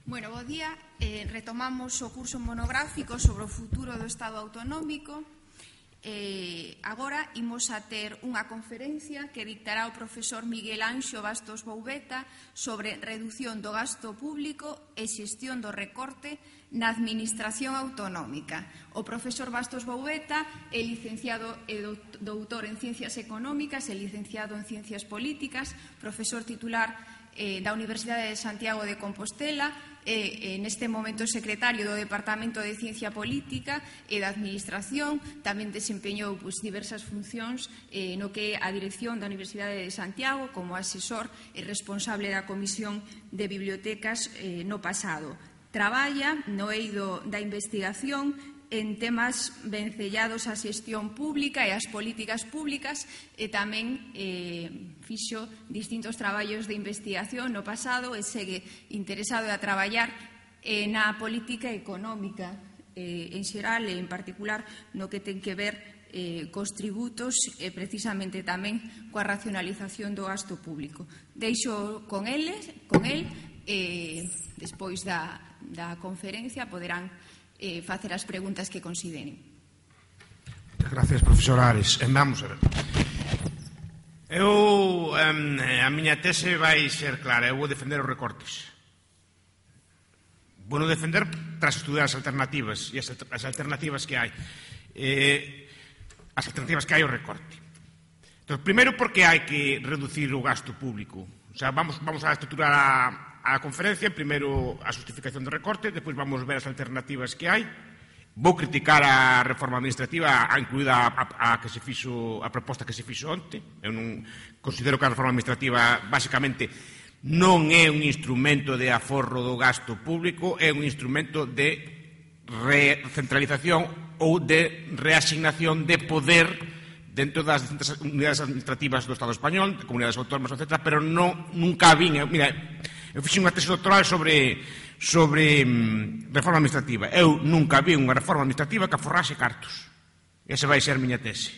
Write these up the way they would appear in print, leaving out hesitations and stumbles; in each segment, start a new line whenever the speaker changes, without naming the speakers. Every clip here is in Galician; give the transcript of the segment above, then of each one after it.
Bueno, bo día. Retomamos o curso monográfico sobre o futuro do Estado autonómico. Agora imos a ter unha conferencia que dictará o profesor Miguel Anxo Bastos Boubeta sobre redución do gasto público e xestión do recorte na administración autonómica. O profesor Bastos Boubeta é licenciado e doutor en Ciencias Económicas e licenciado en Ciencias Políticas, profesor titular da Universidade de Santiago de Compostela, neste momento secretario do Departamento de Ciencia Política e da Administración. Tamén desempeñou diversas funcións no que é a dirección da Universidade de Santiago como asesor e responsable da Comisión de Bibliotecas no pasado. Traballa no eido da investigación en temas vencellados á xestión pública e ás políticas públicas e tamén fixo distintos traballos de investigación no pasado e segue interesado a traballar na política económica en xeral e en particular no que ten que ver cos tributos e precisamente tamén coa racionalización do gasto público. Deixo con el despois da conferencia poderán facer as preguntas que consideren.
Gracias, profesor Ares. Vamos a ver. A miña tese vai ser clara. Eu vou defender os recortes. Vou defender tras estudar as alternativas e as alternativas que hai. As alternativas que hai ao recorte. Entón, primeiro, porque hai que reducir o gasto público. O sea, vamos a estruturar a conferencia, primeiro a justificación do recorte, depois vamos ver as alternativas que hai. Vou criticar a reforma administrativa, incluída a proposta que se fixo onte. Eu non considero que a reforma administrativa basicamente non é un instrumento de aforro do gasto público, é un instrumento de recentralización ou de reasignación de poder dentro das distintas unidades administrativas do Estado español, de comunidades autónomas, etc., pero nunca vin. Mira, eu fixe unha tese doctoral sobre reforma administrativa. Eu nunca vi unha reforma administrativa que aforrase cartos. Esa vai ser a miña tese.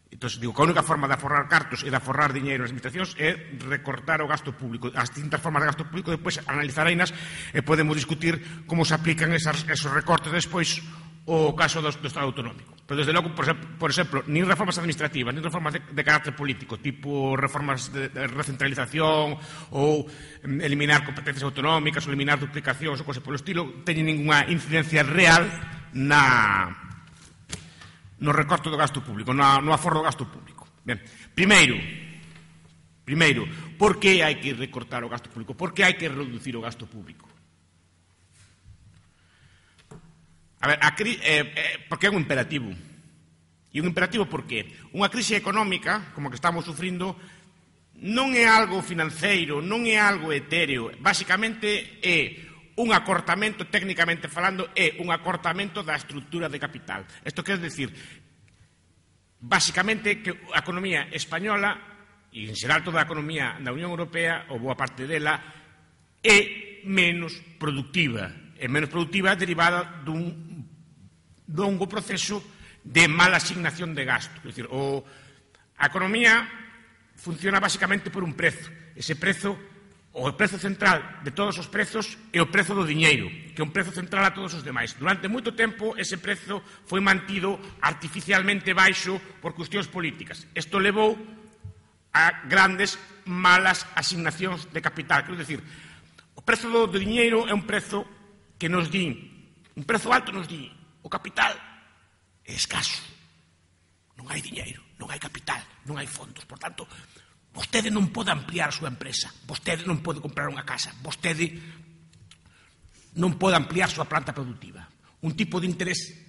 Entón, digo que a única forma de aforrar cartos e de aforrar diñeiro nas administracións é recortar o gasto público. As distintas formas de gasto público, depois analizareinas e podemos discutir como se aplican esos recortes despois o caso do Estado autonómico. Pero, desde logo, por exemplo, nin reformas administrativas, nin reformas de carácter político, tipo reformas de recentralización ou eliminar competencias autonómicas ou eliminar duplicacións ou cosas polo estilo, teñen ninguna incidencia real no recorte do gasto público, no aforro do gasto público. Ben, primeiro, por que hai que recortar o gasto público? Por que hai que reducir o gasto público? A ver, porque é un imperativo. E un imperativo por qué? Unha crise económica, como que estamos sufrindo, non é algo financeiro, non é algo etéreo. Basicamente é un acortamento, técnicamente falando, é un acortamento da estrutura de capital. Isto quer decir, basicamente, que a economía española, e en xeral toda a economía da Unión Europea, ou boa parte dela, é menos productiva. É menos productiva derivada dun longo proceso de mala asignación de gasto. É dicir, a economía funciona basicamente por un prezo. Ese prezo, o prezo central de todos os prezos, é o prezo do diñeiro, que é un prezo central a todos os demais. Durante moito tempo, ese prezo foi mantido artificialmente baixo por cuestións políticas. Isto levou a grandes malas asignacións de capital. Quero dicir, o prezo do diñeiro é un prezo que nos din, un prezo alto nos din, o capital é escaso. Non hai diñeiro, non hai capital, non hai fondos. Por tanto, vostede non pode ampliar a súa empresa, vostede non pode comprar unha casa, vostede non pode ampliar a súa planta productiva. Un tipo de interés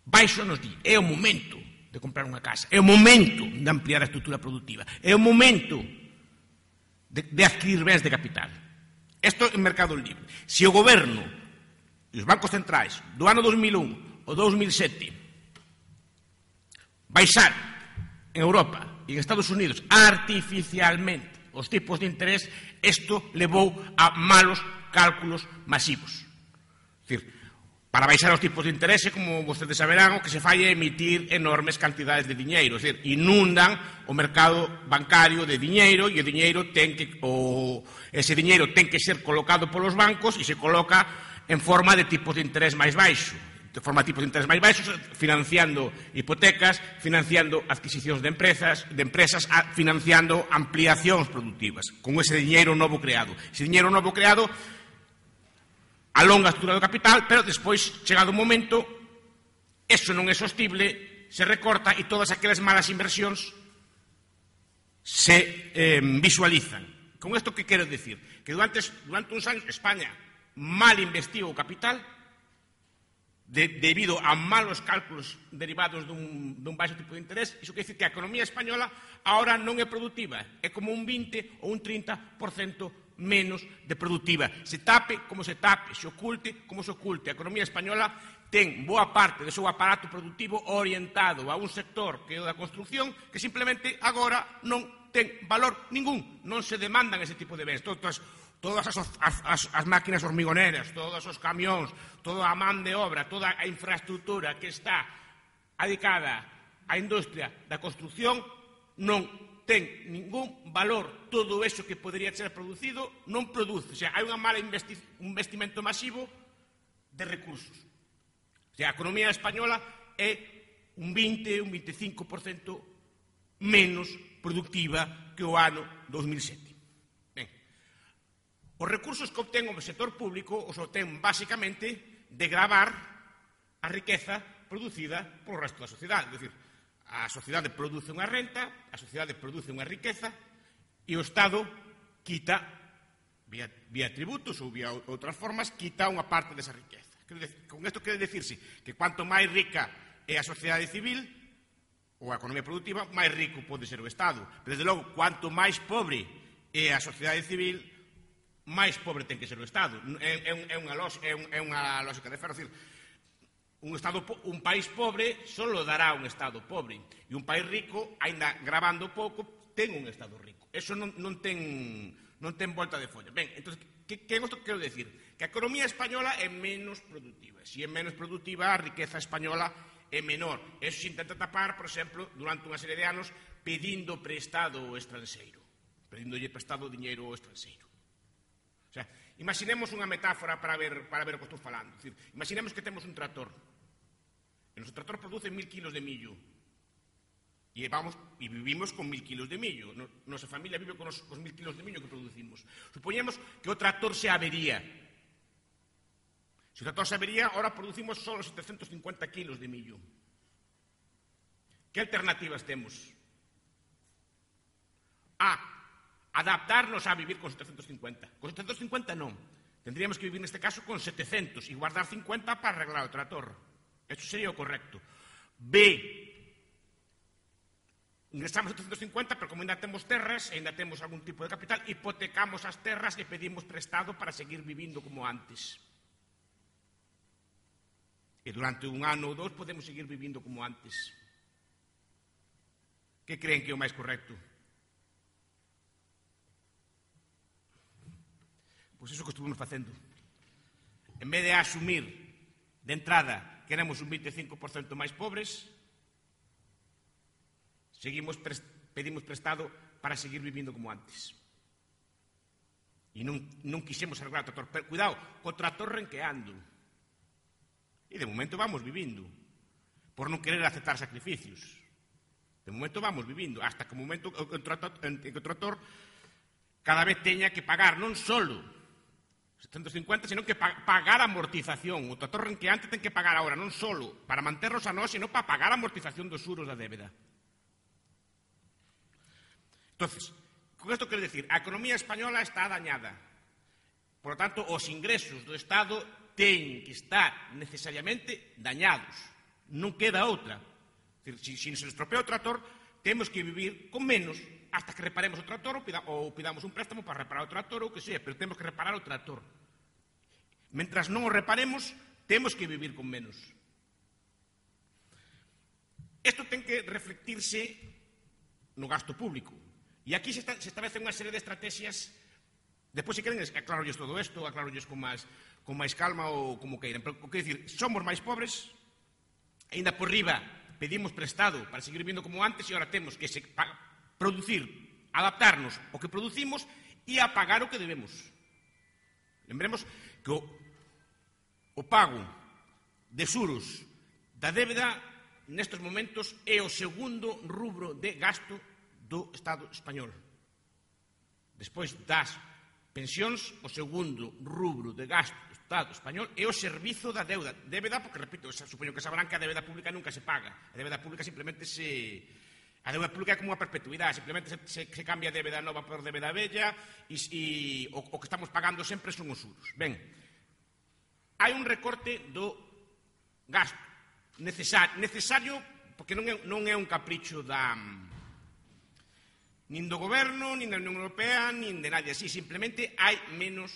baixo nos di, é o momento de comprar unha casa, é o momento de ampliar a estrutura productiva, é o momento de adquirir bens de capital. Isto é o mercado libre. Se o goberno e os bancos centrais do ano 2001 ou 2007 baixar en Europa e en Estados Unidos artificialmente os tipos de interés, isto levou a malos cálculos masivos. É dicir, Para baixar os tipos de interese, como vostedes saberán, o que se fai é emitir enormes cantidades de diñeiro, é dicir, inundan o mercado bancario de diñeiro e ese diñeiro ten que ser colocado polos bancos e se coloca en forma de tipos de interés máis baixo, de forma de tipos de interés máis baixos, financiando hipotecas, financiando adquisicións de empresas, financiando ampliacións productivas, con ese diñeiro novo creado. Ese diñeiro novo creado alonga a estrutura do capital, pero despois, chegado o momento, eso non é sostible, se recorta e todas aquelas malas inversións se visualizan. Con isto que quero dicir? Que durante uns anos España mal investiu o capital debido a malos cálculos derivados dun baixo tipo de interés. Iso quer dicir que a economía española ahora non é productiva, é como un 20 ou un 30% menos de productiva. Se tape como se tape, se oculte como se oculte. A economía española ten boa parte do seu aparato productivo orientado a un sector que é o da construcción, que simplemente agora non ten valor ningún. Non se demandan ese tipo de bens. Todas as máquinas hormigoneras, todos os camións, toda a man de obra, toda a infraestructura que está adicada á industria da construcción non ten ningún valor. Todo eso que podría ser producido non produce. O sea, hai un investimento masivo de recursos. O sea, a economía española é un 20, un 25% menos productiva que o ano 2007. Ben, os recursos que obtén o sector público os obtén basicamente de gravar a riqueza producida polo resto da sociedade. É dicir, a sociedade produce unha renta, a sociedade produce unha riqueza e o Estado quita, vía tributos ou vía outras formas, quita unha parte desa riqueza. Con isto quere dicirse que cuanto máis rica é a sociedade civil ou a economía productiva, máis rico pode ser o Estado. Pero, desde logo, cuanto máis pobre é a sociedade civil, máis pobre ten que ser o Estado. É unha lógica de ferro. Un país pobre solo dará un Estado pobre e un país rico, aínda gravando pouco, ten un Estado rico. Eso non ten volta de folla. Ben, entón, que é isto que quero decir? Que a economía española é menos productiva. Se é menos productiva, a riqueza española é menor. Eso se intenta tapar, por exemplo, durante unha serie de anos, pedindo prestado ao estranxeiro. Pedíndolle prestado diñeiro ao estranxeiro. O sea, imaginemos unha metáfora para ver o que estou falando. É dicir, imaginemos que temos un tractor. E o noso tractor produce 1000 kilos de millo. E vivimos con 1000 kilos de millo. Nosa familia vive con os 1000 kilos de millo que producimos. Supoñemos que o tractor se avería. Se o tractor se avería, ahora producimos só 750 kilos de millo. Que alternativas temos? Adaptarnos a vivir con 750. Con 750 non. Tendríamos que vivir neste caso con 700 e guardar 50 para arreglar o tractor. Eso sería o correcto. Ingresamos a 750, pero como ainda temos terras, ainda temos algún tipo de capital, hipotecamos as terras e pedimos prestado para seguir vivindo como antes. E durante un ano ou dous podemos seguir vivindo como antes. Que creen que é o máis correcto? Pois iso que estuvimos facendo. En vez de asumir de entrada que éramos un 25% máis pobres, pedimos prestado para seguir vivindo como antes. E non quixemos arreglar o tractor. Pero, cuidado, co tractor renqueando. E de momento vamos vivindo. Por non querer aceptar sacrificios. De momento vamos vivindo. Hasta que o momento en que o tractor cada vez teña que pagar non solo 750, sino que pagar amortización. O tractor renqueante ten que pagar agora non solo para manternos a nós, sino para pagar a amortización dos xuros da débeda. Entonces, con isto quero dicir, a economía española está dañada. Por lo tanto, os ingresos do Estado teñen que estar necesariamente dañados. Non queda outra. Se nos estropea o tractor, temos que vivir con menos hasta que reparemos o tractor ou pidamos un préstamo para reparar o tractor ou que sea, pero temos que reparar o tractor. Mentras non o reparemos, temos que vivir con menos. Isto ten que reflectirse no gasto público. E aquí se establecen unha serie de estrategias Depois, se queren, aclarolles todo isto, aclarolles con máis calma ou como queiran. Pero, quero dicir, somos máis pobres, ainda por riba pedimos prestado para seguir vivindo como antes e agora temos que producir, adaptarnos ao que producimos e a pagar o que debemos. Lembremos que o pago de xuros da débeda nestes momentos é o segundo rubro de gasto do Estado español. Despois das pensións, o segundo rubro de gasto do Estado español é o servizo da débeda, porque, repito, supoño que sabrán que a débeda pública nunca se paga. A débeda pública simplemente a débeda pública é como unha perpetuidade, simplemente se cambia a débeda nova por débeda vella e o que estamos pagando sempre son os xuros. Ben, hai un recorte do gasto necesario, porque non é un capricho nin do goberno, nin da Unión Europea, nin de nadie así, simplemente hai menos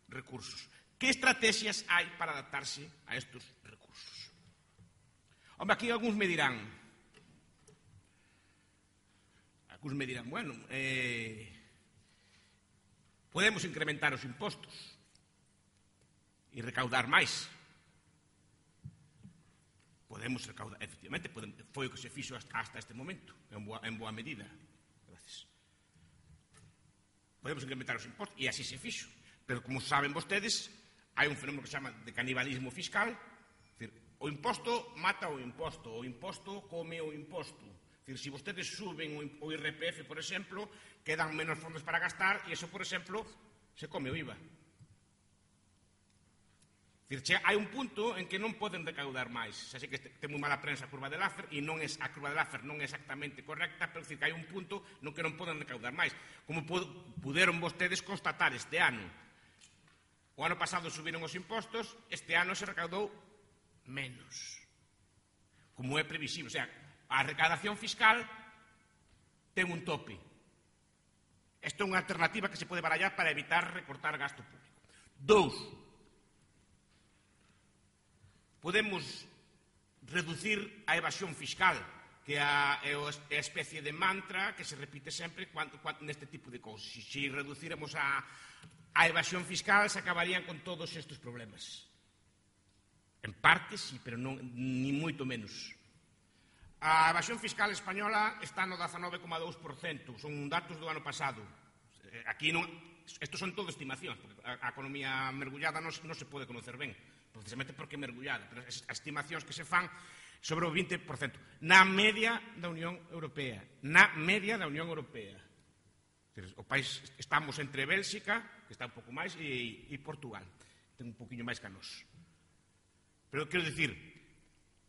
recursos. Que estrategias hai para adaptarse a estes recursos? Home, aquí algúns me dirán, bueno, podemos incrementar os impostos e recaudar máis. Podemos recaudar, efectivamente, foi o que se fixo hasta este momento, en boa medida. Gracias. Podemos incrementar os impostos, e así se fixo. Pero, como saben vostedes, hai un fenómeno que se chama de canibalismo fiscal. O imposto mata o imposto come o imposto. Se vostedes suben o IRPF, por exemplo, quedan menos fondos para gastar, e eso, por exemplo, se come o IVA. Hai un punto en que non poden recaudar máis. Así que ten moi mala prensa a curva de Laffer, e a curva de Laffer non é exactamente correcta, pero que hai un punto no que non poden recaudar máis. Como puderon vostedes constatar este ano. O ano pasado subiron os impostos, este ano se recaudou menos. Como é previsible. O sea, a recaudación fiscal ten un tope. Isto é unha alternativa que se pode barallar para evitar recortar gasto público. 2. Podemos reducir a evasión fiscal, que é a especie de mantra que se repite sempre neste tipo de cousas. Se reduciremos a evasión fiscal, se acabarían con todos estes problemas. En parte, sí, pero ni moito menos. A evasión fiscal española está no 19,2%, son datos do ano pasado. Aquí non, estos son todo estimacións, porque a economía mergullada non se pode conocer ben, precisamente porque é mergullada, pero as estimacións que se fan sobre o 20%, na media da Unión Europea. O país, estamos entre Bélxica, que está un pouco máis, e Portugal, ten un poquinho máis que a nós. Pero quero dicir,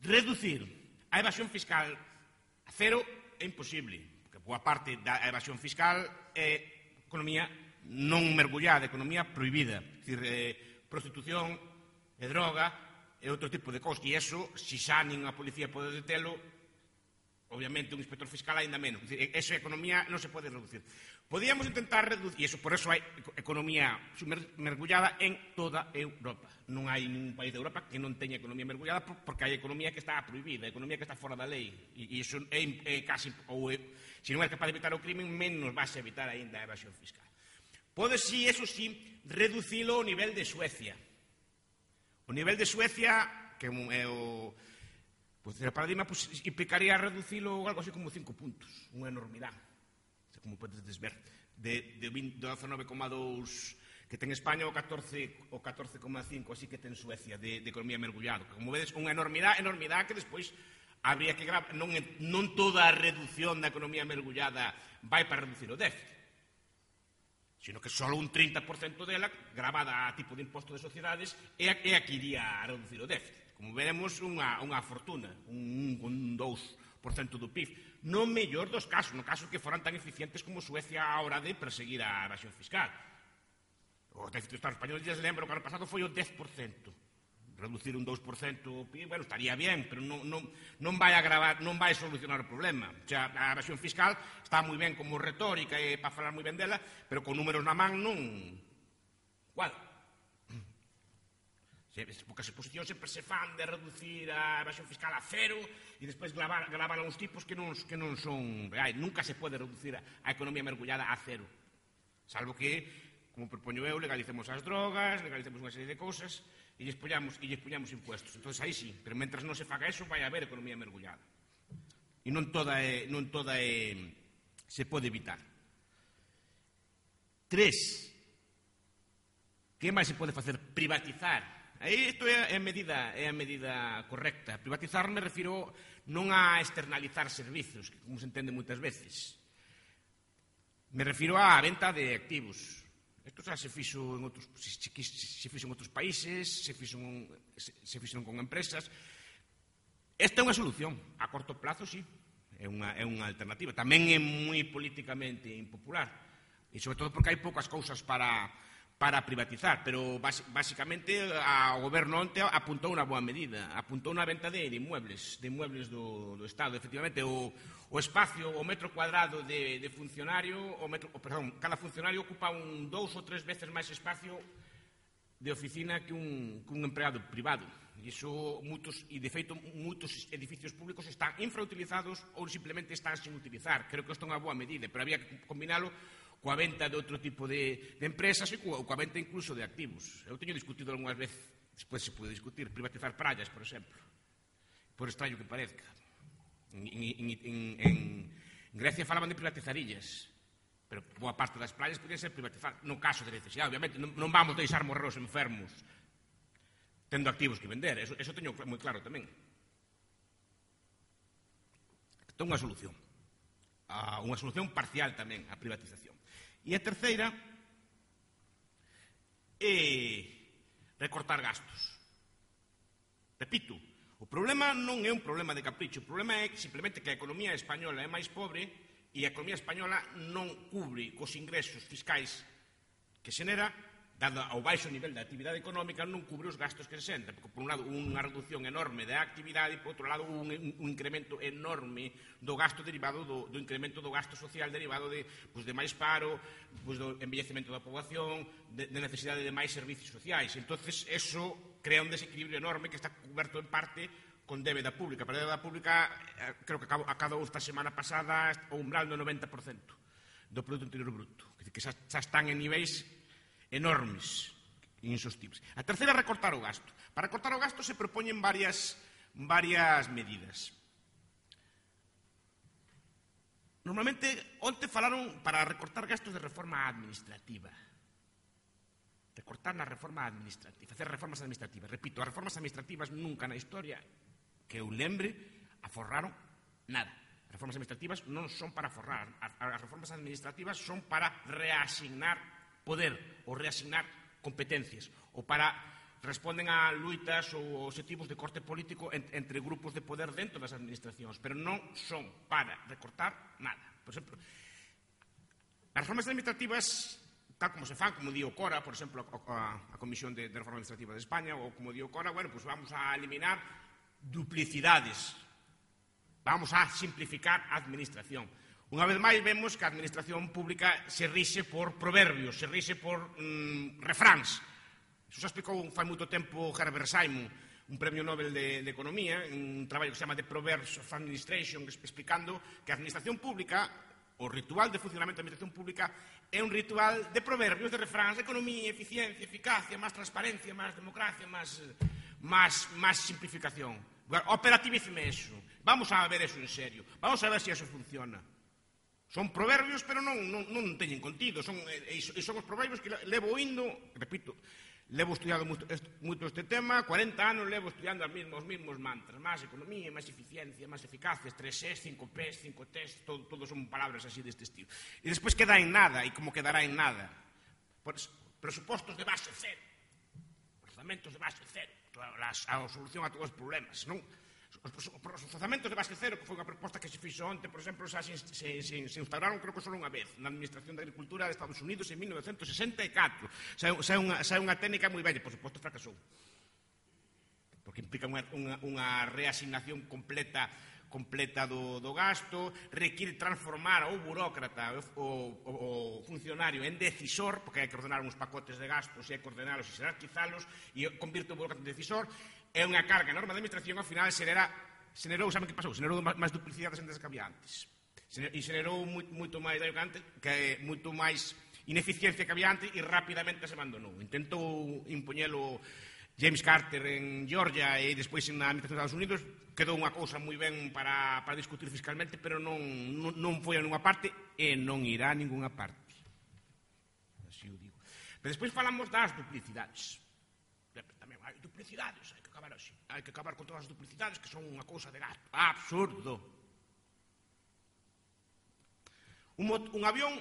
reducir a evasión fiscal a cero é imposible, porque boa parte da evasión fiscal é economía non mergullada, economía prohibida, é dicir, prostitución, e droga, e outro tipo de cosas. E iso, se xa nin a policía pode detelo, obviamente un inspector fiscal aínda menos. Esa economía non se pode reducir. Podíamos intentar reducir, e por eso hai economía mergullada en toda Europa. Non hai ningún país de Europa que non teña economía mergullada, porque hai economía que está prohibida, economía que está fora da lei. E iso é casi, ou se non é capaz de evitar o crimen, menos vas a evitar aínda a evasión fiscal. Pode, sí, eso sí, reducilo ao nivel de Suecia. O nivel de Suecia, que é o paradigma, implicaría reducilo algo así como 5 puntos, unha enormidade, como podes ver, de 19,2 que ten España o 14,5, así que ten Suecia, de economía mergullado. Como vedes, unha enormidade que despois habría que gravar. Non toda a reducción da economía mergullada vai para reducir o déficit, sino que só un 30% dela, gravada a tipo de imposto de sociedades, é a que iría a reducir o déficit. Como veremos, unha fortuna, un 2% do PIB. No mellor dos casos, no caso que foran tan eficientes como Suecia a hora de perseguir a evasión fiscal. O déficit do Estado español, ya se lembra, o ano pasado foi o 10%. Reducir un 2% o PIB, bueno, estaría bien, pero non vai agravar, non vai solucionar o problema. O sea, a evasión fiscal está moi ben como retórica e para falar moi ben dela, pero con números na man non cuadra. Porque as exposicións sempre se fan de reducir a evasión fiscal a cero e despois gravar a uns tipos que non son reais. Nunca se pode reducir a economía mergullada a cero, salvo que como propoño eu, legalicemos as drogas, legalicemos unha serie de cousas e lles poñamos impuestos. Entón, aí sí, pero mentras non se faga eso, vai haber economía mergullada. E non toda se pode evitar. 3. Que máis se pode facer? Privatizar. Aí isto é a medida correcta. Privatizar me refiro non a externalizar servizos, que como se entende moitas veces. Me refiro á venta de activos. Isto xa se fixo en outros países, se fixo con empresas. Esta é unha solución. A corto plazo, sí, é unha alternativa. Tamén é moi políticamente impopular. E sobre todo porque hai poucas cousas para privatizar, pero basicamente o goberno onte apuntou unha boa medida, apuntou unha venta de inmuebles do Estado. Efectivamente, o espacio, o metro cuadrado de funcionario, cada funcionario ocupa 2 ou 3 veces máis espacio de oficina que un empregado privado. E de feito, moitos edificios públicos están infrautilizados ou simplemente están sin utilizar. Creo que isto é unha boa medida, pero había que combinalo coa venta de outro tipo de empresas e coa venta incluso de activos. Eu teño discutido algunhas veces, despois se pode discutir, privatizar praias, por exemplo, por extraño que parezca. En Grecia falaban de privatizar illas, pero boa parte das praias podían ser privatizadas, no caso de necesidade. Obviamente, non vamos deixar morrer os enfermos tendo activos que vender, eso teño moi claro tamén. Isto é unha solución parcial tamén, a privatización. E a terceira é recortar gastos. Repito, o problema non é un problema de capricho, o problema é simplemente que a economía española é máis pobre e a economía española non cubre cos ingresos fiscais que xenera, dado ao baixo nivel da actividade económica, non cubre os gastos que se xenera, porque por un lado unha reducción enorme da actividade e por outro lado un incremento enorme do gasto derivado do incremento do gasto social derivado de máis paro, do envellecemento da poboación, de necesidade de máis servicios sociais. Entonces, eso crea un desequilibrio enorme que está cuberto en parte con débeda pública. Para a débeda pública, creo que acabou esta semana pasada o umbral do 90% do Produto Interior Bruto, que xa están en niveis enormes e insostibles. A terceira é recortar o gasto. Para recortar o gasto se propoñen varias medidas. Normalmente, onte falaron para recortar gastos de reforma administrativa. Recortar na reforma administrativa, facer reformas administrativas. Repito, as reformas administrativas nunca na historia que eu lembre aforraron nada. As reformas administrativas non son para aforrar. As reformas administrativas son para reasignar poder ou reasignar competencias ou para responden a luitas ou objetivos de corte político entre grupos de poder dentro das administracións, pero non son para recortar nada. Por exemplo, as reformas administrativas, tal como se fan, como di o CORA, por exemplo, a Comisión de Reforma Administrativa de España, ou como di o CORA, bueno, pues vamos a eliminar duplicidades, vamos a simplificar a administración. Unha vez máis vemos que a administración pública se rixe por proverbios, se rixe por refráns. Iso xa explicou fai moito tempo Herbert Simon, un premio Nobel de Economía, un traballo que se chama The Proverbs of Administration, explicando que a administración pública, o ritual de funcionamento da administración pública, é un ritual de proverbios, de refráns, de economía, eficiencia, eficacia, máis transparencia, máis democracia, máis simplificación. Operativíceme eso. Vamos a ver eso en serio. Vamos a ver se eso funciona. Son proverbios, pero non teñen contido. Son os proverbios que levo oindo, repito, levo estudiado moito este tema, 40 anos levo estudiando os mesmos mantras, máis economía, máis eficiencia, máis eficacia, 3Es, 5Ps, 5Ts, todos son palabras así deste estilo. E despois queda en nada, e como quedará en nada? Presupostos de base cero, orzamentos de base cero, a solución a todos os problemas, non? Os orzamentos de base cero, que foi unha proposta que se fixo onte, por exemplo, se instauraron, creo que só unha vez, na Administración de Agricultura de Estados Unidos en 1964. Xa é unha técnica moi bella, por suposto fracasou, porque implica unha reasignación completa do gasto, require transformar ao burócrata, o funcionario, en decisor, porque hai que ordenar uns pacotes de gastos e hai que ordenalos e xerarquizalos, e convirte o burócrata en decisor. É unha carga enorme da administración, ao final xenerou, saben que pasou? Xenerou máis duplicidades antes que había antes. E xenerou moito máis daño que antes, que é moito máis ineficiencia que había antes e rapidamente se abandonou. Intentou impoñelo James Carter en Georgia e despois na administración dos Estados Unidos, quedou unha cousa moi ben para discutir fiscalmente, pero non foi a ninguna parte e non irá a ninguna parte. Así o digo. Pero despois falamos das duplicidades. Tamén hai duplicidades, hai que acabar así. Hai que acabar con todas as duplicidades que son unha cousa de gato. Absurdo. Un avión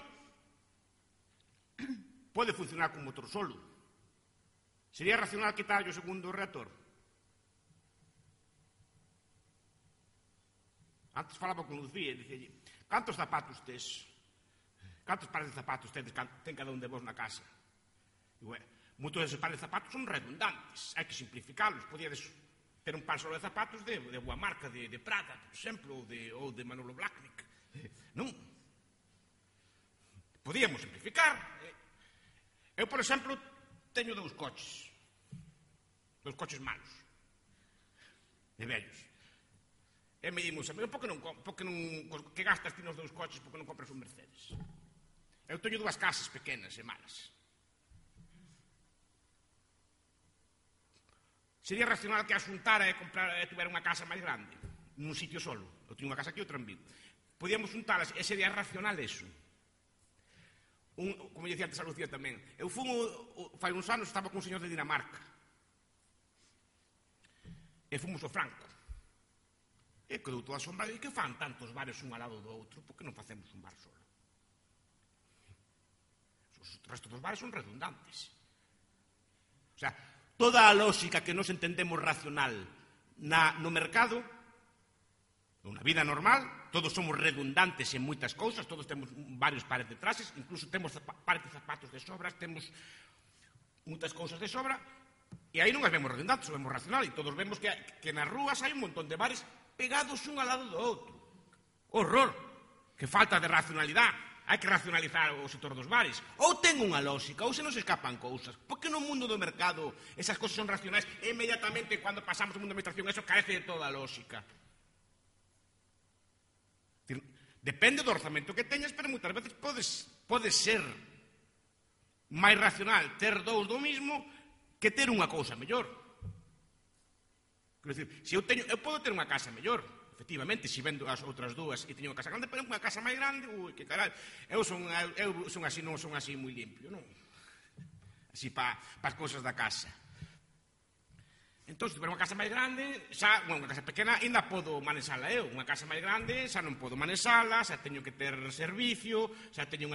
pode funcionar con motor solo. Sería racional quitarlle o segundo reactor? Antes falaba con Lucía e dicelle: cantos zapatos tes? Cantos pares de zapatos ten cada un de vos na casa? Digo, moitos deses pares de zapatos son redundantes, hai que simplificalos. Podíades ter un par solo de zapatos de boa marca, de Prada, por exemplo, ou de Manolo Blahnik. Non? Podíamos simplificar. Eu, por exemplo, teño dous coches malos, de vellos. E me dimos, por que non que gastas ti nos dous coches, por que non compras un Mercedes? Eu teño dúas casas pequenas e malas. Sería racional que asuntara e tuvera unha casa máis grande, nun sitio solo. Eu teño unha casa aquí e outra en Vigo. Podíamos juntalas, e sería racional eso. Como dicía antes a Lucía tamén, eu fai uns anos estaba con un señor de Dinamarca e fomos ao Franco e quedou toda asombrada. E que fan tantos bares un ao lado do outro? Por que non facemos un bar solo? Os restos dos bares son redundantes. O sea, toda a lógica que nos entendemos racional no mercado, na vida normal, todos somos redundantes en moitas cousas, todos temos varios pares de trases, incluso temos pares de zapatos de sobras, temos moitas cousas de sobra, e aí non as vemos redundantes, as vemos racional, e todos vemos que nas rúas hai un montón de bares pegados un ao lado do outro. Horror! Que falta de racionalidade. Hai que racionalizar o sector dos bares. Ou ten unha lógica, ou se nos escapan cousas. Porque no mundo do mercado esas cousas son racionais e inmediatamente cando pasamos ao mundo da administración eso carece de toda a lógica. Depende do orzamento que teñas, pero moitas veces pode ser máis racional ter dous do mismo que ter unha cousa mellor. Quero dicir, se eu podo ter unha casa mellor, efectivamente, se vendo as outras dúas e teño unha casa grande, pero unha casa máis grande, ui, que carai, eu son así, non son así moi limpio, non? Así para as cousas da casa. Entón, se tiver unha casa máis grande, unha casa pequena, ainda podo manexala eu. Unha casa máis grande, xa non podo manexala, xa teño que ter servicio, xa teño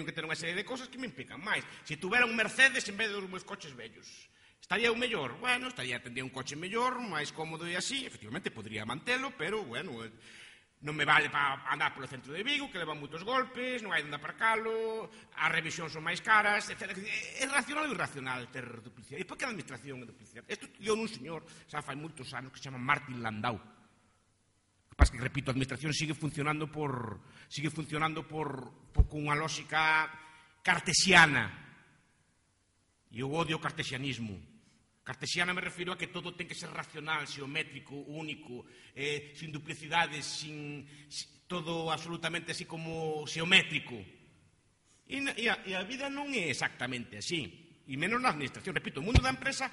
que ter unha serie de cousas que me implican máis. Se tuvera un Mercedes en vez dos meus coches vellos, estaría eu mellor? Bueno, tendría un coche mellor, máis cómodo e así, efectivamente, podría mantelo, pero, bueno, non me vale para andar polo centro de Vigo, que levan moitos golpes, non hai onde aparcalo, as revisións son máis caras, etc. É racional ou irracional ter duplicidade? E por que a administración é duplicidade? Isto dio un señor, xa fai moitos anos, que se chama Martin Landau. O que pasa que, repito, a administración sigue funcionando con unha lógica cartesiana. E eu odio o cartesianismo. Cartesiana me refiro a que todo ten que ser racional, xeométrico, único, sin duplicidades, todo absolutamente así como xeométrico. E a vida non é exactamente así, e menos na administración. Repito, o mundo da empresa,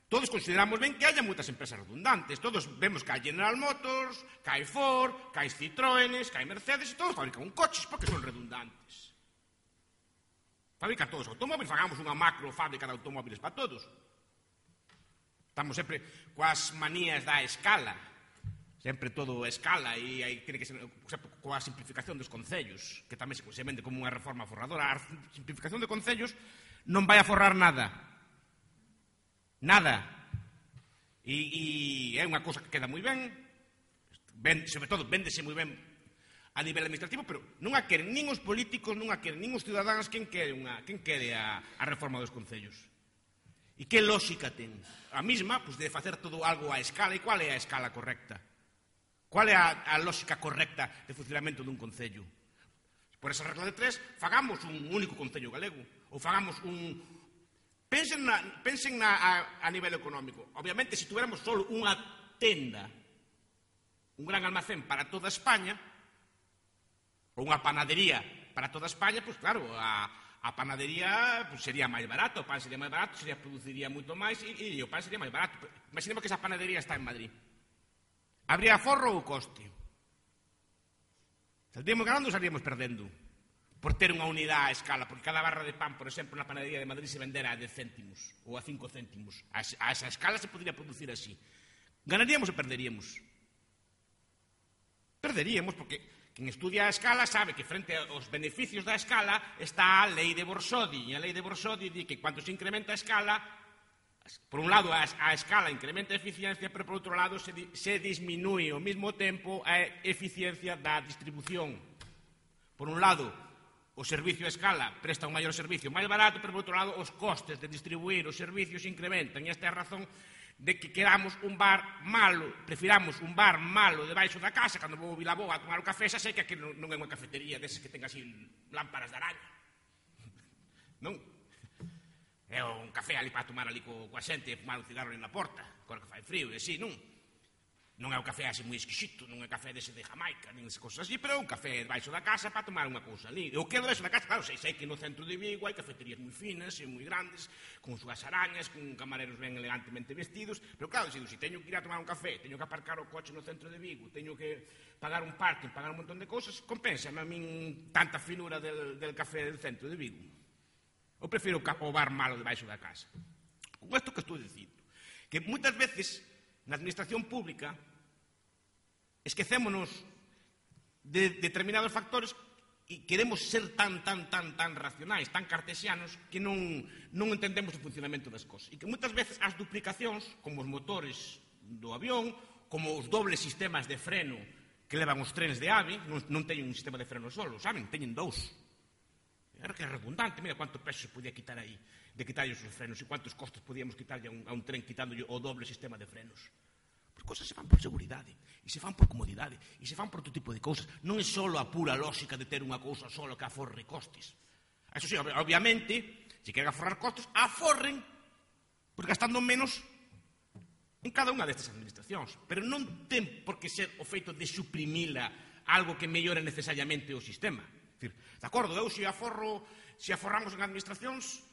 todos consideramos ben que haya moitas empresas redundantes, todos vemos que hai General Motors, que hai Ford, que hai Citroënes, que hai Mercedes, e todos fabrican coches porque son redundantes. Fabrican todos automóviles, fagamos unha macro fábrica de automóviles para todos. Estamos sempre coas manías da escala, sempre todo escala, e aí tiene que ser coa simplificación dos concellos, que tamén se vende como unha reforma forradora. A simplificación de concellos non vai a forrar nada. Nada. E é unha cousa que queda moi ben, sobre todo véndese moi ben a nivel administrativo, pero non a queren nin os políticos, non a queren nin os cidadáns. Quen quere a reforma dos concellos? E que lógica ten? A mesma, pois, de facer todo algo a escala. E qual é a escala correcta? Qual é a lógica correcta de funcionamento dun concello? Por esa regla de tres, fagamos un único concello galego. Ou fagamos un... Pensen a nivel económico. Obviamente, se tuviéramos só unha tenda, un gran almacén para toda España, ou unha panadería para toda España, pois claro, A panadería sería máis barato, o pan sería máis barato, produciría moito máis e o pan sería máis barato. Imaginemos que esa panadería está en Madrid. Habría aforro ou coste? Saldríamos ganando ou saldríamos perdendo? Por ter unha unidade a escala, porque cada barra de pan, por exemplo, na panadería de Madrid se vendera a 10 céntimos ou a 5 céntimos. A esa escala se podría producir así. Ganaríamos ou perderíamos? Perderíamos, porque quen estudia a escala sabe que frente aos beneficios da escala está a lei de Borsodi, e a lei de Borsodi di que cando se incrementa a escala, por un lado a escala incrementa a eficiencia, pero por outro lado se disminúe ao mesmo tempo a eficiencia da distribución. Por un lado, o servicio a escala presta un maior servicio máis barato, pero por outro lado os costes de distribuir os servicios incrementan, e esta é a razón de que queramos un bar malo, prefiramos un bar malo debaixo da casa. Cando vou a Vilaboa a tomar o café, xa sei que aquí non é unha cafetería desas que ten así lámparas de araña. Non? É un café ali para tomar ali coa xente e fumar un cigarro ali na porta, agora que fai frío, e así, non? Non é un café así moi exquisito, non é café dese de Jamaica, nin esas cosas así, pero é un café debaixo da casa para tomar unha cousa ali. E o que é debaixo da casa, claro, sei que no centro de Vigo hai cafeterías moi finas e moi grandes, con súas arañas, con camareros ben elegantemente vestidos, pero claro, se teño que ir a tomar un café, teño que aparcar o coche no centro de Vigo, teño que pagar un parking, pagar un montón de cousas, compensa a min tanta finura del café del centro de Vigo. Eu prefiro o bar malo debaixo da casa. Con isto que estou dicindo, que moitas veces na administración pública esquecémonos de determinados factores e queremos ser tan racionais, tan cartesianos, que non entendemos o funcionamento das cosas. E que moitas veces as duplicacións, como os motores do avión, como os dobles sistemas de freno que levan os trenes de AVE, non teñen un sistema de freno solo, saben? Teñen dous. Era que é redundante, mira cuánto peso se podía quitar aí, de quitarlle os frenos, e cuántos costes podíamos quitarlle a un tren quitándolle o doble sistema de frenos. As cousas se fan por seguridade, e se fan por comodidade, e se fan por outro tipo de cousas. Non é só a pura lógica de ter unha cousa só que aforre costes. Eso sí, obviamente, se queren aforrar costes, aforren, porque gastando menos en cada unha destas administracións. Pero non ten por que ser o feito de suprimila algo que mellore necesariamente o sistema. De acordo, eu se aforramos en administracións,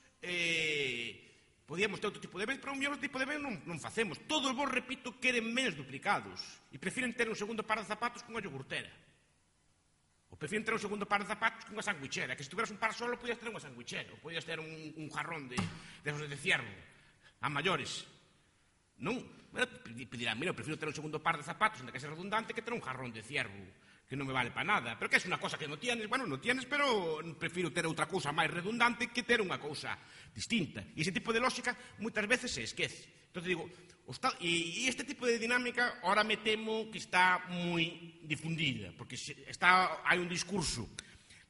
podíamos ter outro tipo de bens, pero un mellor tipo de bens non facemos. Todos vos, repito, queren bens duplicados e prefiren ter un segundo par de zapatos cunha iogurtera. Ou prefiren ter un segundo par de zapatos cunha sandwichera, que se tuveras un par solo podías ter unha sandwichera, ou podías ter un jarrón de ciervo a maiores. Non? Dirán, mira, prefiro ter un segundo par de zapatos, onde que ser redundante, que ter un jarrón de ciervo que non me vale para nada. Pero que é unha cosa que non tienes, bueno, non tienes, pero prefiro ter outra cousa máis redundante que ter unha cousa distinta. E ese tipo de lógica moitas veces se esquece. Entón, digo, e este tipo de dinámica ahora me temo que está moi difundida, porque hai un discurso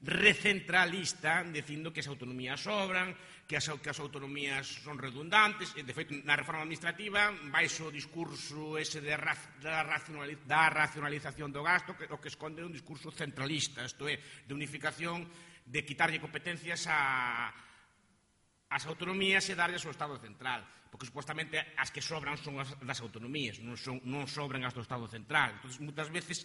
recentralista dicindo que as autonomías sobran, que as autonomías son redundantes, e de feito na reforma administrativa baixo o discurso ese da racionalización do gasto, que o que esconde un discurso centralista, isto é, de unificación, de quitarlle competencias ás autonomías e darlles ao Estado central, porque supostamente as que sobran son as das autonomías, non sobran as do Estado central. Entón, moitas veces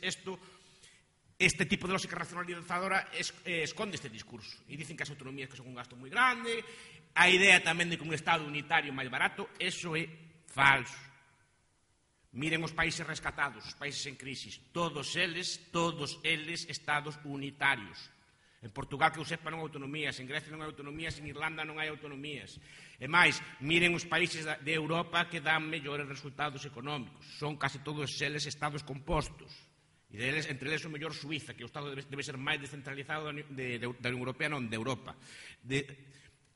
este tipo de lógica racionalizadora esconde este discurso e dicen que as autonomías que son un gasto moi grande, a idea tamén de que un Estado unitario máis barato, eso é falso. Miren os países rescatados, os países en crisis, todos eles Estados unitarios. En Portugal, que eu sepa, non hai autonomías, en Grecia non hai autonomías, en Irlanda non hai autonomías. E máis, miren os países de Europa que dan mellores resultados económicos, son case todos eles Estados compostos. E entre eles o mellor Suiza, que o Estado debe ser máis descentralizado da Unión Europea, non de Europa.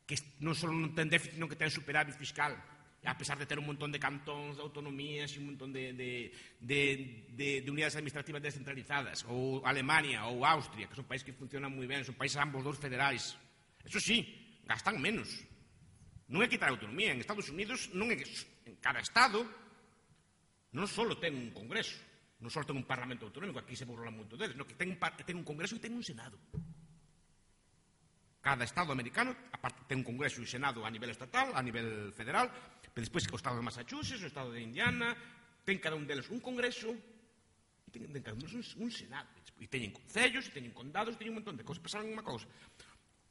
Que non só non ten déficit, non que ten superávit fiscal, a pesar de ter un montón de cantóns, de autonomías e un montón de unidades administrativas descentralizadas, ou Alemania ou Austria, que son países que funcionan moi ben, son países ambos dous federais. Eso sí, gastan menos. Non é quitar autonomía. En Estados Unidos, en cada Estado, non só ten un Congreso, non só ten un Parlamento autonómico, aquí se burlan moito deles, que ten un Congreso e ten un Senado. Cada Estado americano ten un Congreso e Senado a nivel estatal, a nivel federal, pero despois o Estado de Massachusetts, o Estado de Indiana, ten cada un deles un Congreso e ten cada un deles un Senado. E teñen concellos, e teñen condados, e teñen un montón de cousas. Pasaron unha cousa.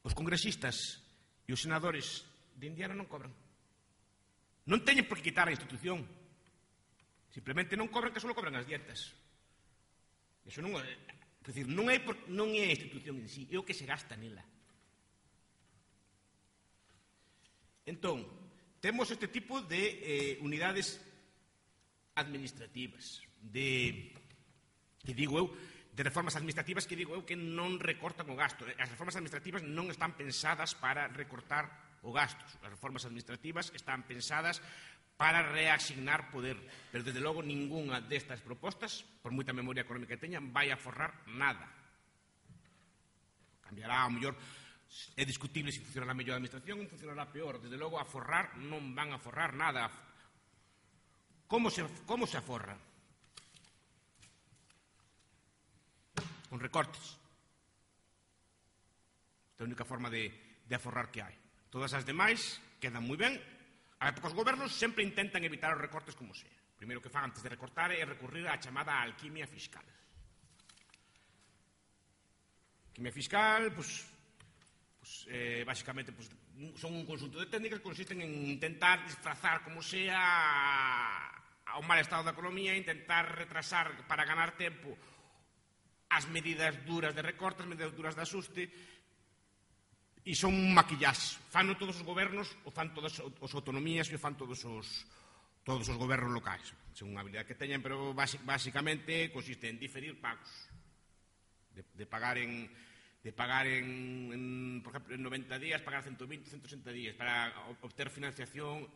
os congresistas e os senadores de Indiana non cobran. Non teñen por que quitar a institución. Simplemente non cobran, que só cobran as dietas. Iso non é, decir, non é a institución en sí, é o que se gasta nela. Entón, temos este tipo de unidades administrativas, que digo eu, de reformas administrativas que digo eu que non recortan o gasto. As reformas administrativas non están pensadas para recortar o gasto. As reformas administrativas están pensadas para reasignar poder. Pero, desde logo, ningunha destas propostas, por moita memoria económica que teñan, vai a forrar nada. Cambiará, ao mellor, é discutible se funcionará mellor a administración ou funcionará peor. Desde logo, a forrar non van a forrar nada. Como se aforra? Con recortes. Esta é a única forma de aforrar que hai. Todas as demais quedan moi ben. Os gobernos sempre intentan evitar os recortes como sea. O primeiro que fan antes de recortar é recurrir á chamada alquimia fiscal. Alquimia fiscal, basicamente, son un conjunto de técnicas que consisten en intentar disfrazar como sea ao mal estado da economía, intentar retrasar para ganar tempo as medidas duras de recorte, as medidas duras de asuste, e son un maquillaxe. Fano todos os gobernos, o fan todas as autonomías e o fan todos os gobernos locais, según a habilidade que teñan, pero basicamente consiste en diferir pagos, de pagar en, por exemplo, en 90 días, pagar 120, 160 días, para obter financiación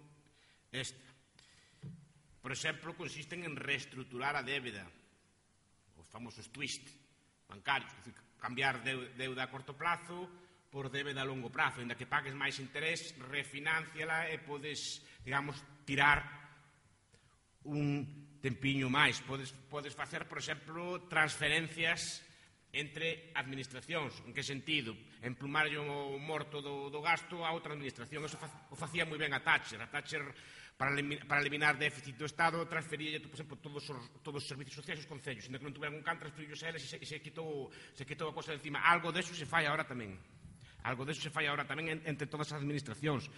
extra. Por exemplo, consisten en reestruturar a débeda, os famosos twist bancarios, é dicir, cambiar deuda a corto plazo por débeda a longo plazo, ainda que pagues máis interés, refinanciala e podes, digamos, tirar un tempiño máis. Podes facer, por exemplo, transferencias entre administracións. En que sentido? Emplumar o morto do gasto a outra administración. Eso o facía moi ben a Thatcher. A Thatcher, para eliminar déficit do Estado, transfería, por exemplo, todos os servicios sociais aos concellos. Ainda que non tuveran un can, transferillos a eles e se quitou a cosa de encima. Algo deso se fai agora tamén. Algo deso se fai agora tamén entre todas as administracións.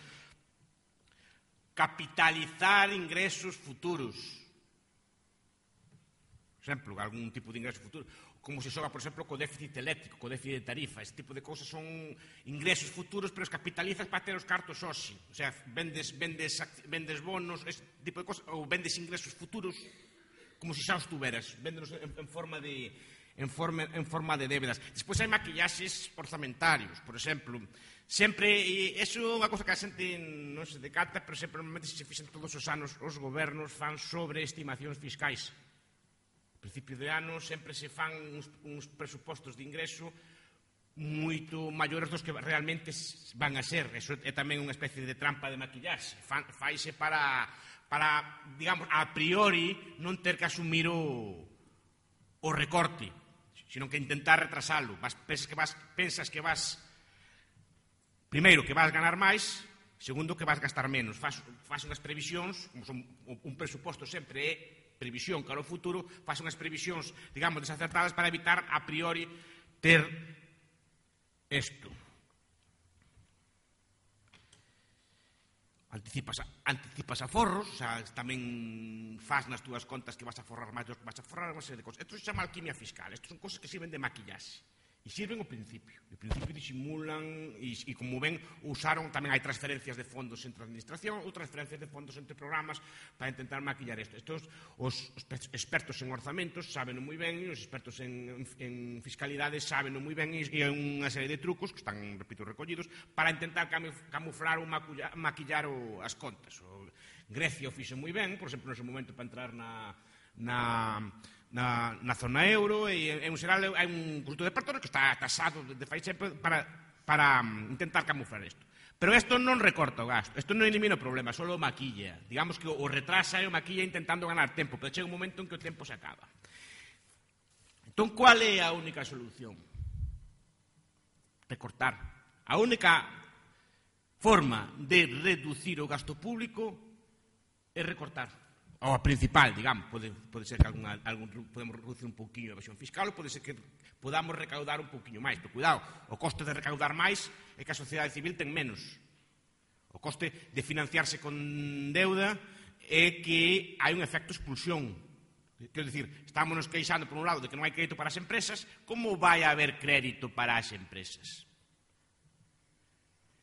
Capitalizar ingresos futuros. Por exemplo, algún tipo de ingreso futuro. Como se xoga, por exemplo, co déficit eléctrico, co déficit de tarifa. Este tipo de cousas son ingresos futuros, pero os capitalizas para ter os cartos hoxe. O sea, vendes bonos, este tipo de cousas, ou vendes ingresos futuros como se xa os tuveras. Véndenos en forma de débedas. Despois hai maquillaxes orzamentarios, por exemplo. Sempre, e iso é unha cousa que a xente non se decata, pero sempre, normalmente, se fixen todos os anos, os gobernos fan sobreestimacións fiscais. A principio de ano sempre se fan uns presupostos de ingreso moito maiores dos que realmente van a ser. Eso é tamén unha especie de trampa de maquillaxe. Faise para, digamos, a priori non ter que asumir o recorte, sino que intentar retrasalo. Pensas que vas, primeiro, que vas ganar máis, segundo, que vas gastar menos. Fas unhas previsións, como son un presuposto sempre é previsión cara ao futuro, faz unhas previsións, digamos, desacertadas para evitar a priori ter isto. Anticipas aforros, o sea, tamén faz nas túas contas que vas a forrar máis do que vas a forrar, unha serie de cosas. Isto se chama alquimia fiscal, isto son cosas que sirven de maquillaxe. E sirven ao principio. Ao principio disimulan, e como ven, usaron, tamén hai transferencias de fondos entre a administración ou transferencias de fondos entre programas para intentar maquillar isto. Estos, os expertos en orzamentos saben moi ben, e os expertos en fiscalidade saben moi ben, e hai unha serie de trucos que están, repito, recollidos para intentar camuflar ou maquillar as contas. Grecia o fixo moi ben, por exemplo, nese momento para entrar na zona euro, e en xeral hai un conjunto de pertores que está tasado de fai sempre para intentar camuflar isto. Pero isto non recorta o gasto, isto non elimina o problema, só o maquilla. Digamos que o retrasa e o maquilla intentando ganar tempo, pero chega un momento en que o tempo se acaba. Entón, qual é a única solución? Recortar. A única forma de reducir o gasto público é recortar. ou a principal, digamos, pode ser que podemos reducir un pouquinho a evasión fiscal, ou pode ser que podamos recaudar un pouquinho máis, pero cuidado, o coste de recaudar máis é que a sociedade civil ten menos. O coste de financiarse con deuda é que hai un efecto expulsión. Quero dicir, estamos nos queixando por un lado de que non hai crédito para as empresas, como vai haber crédito para as empresas?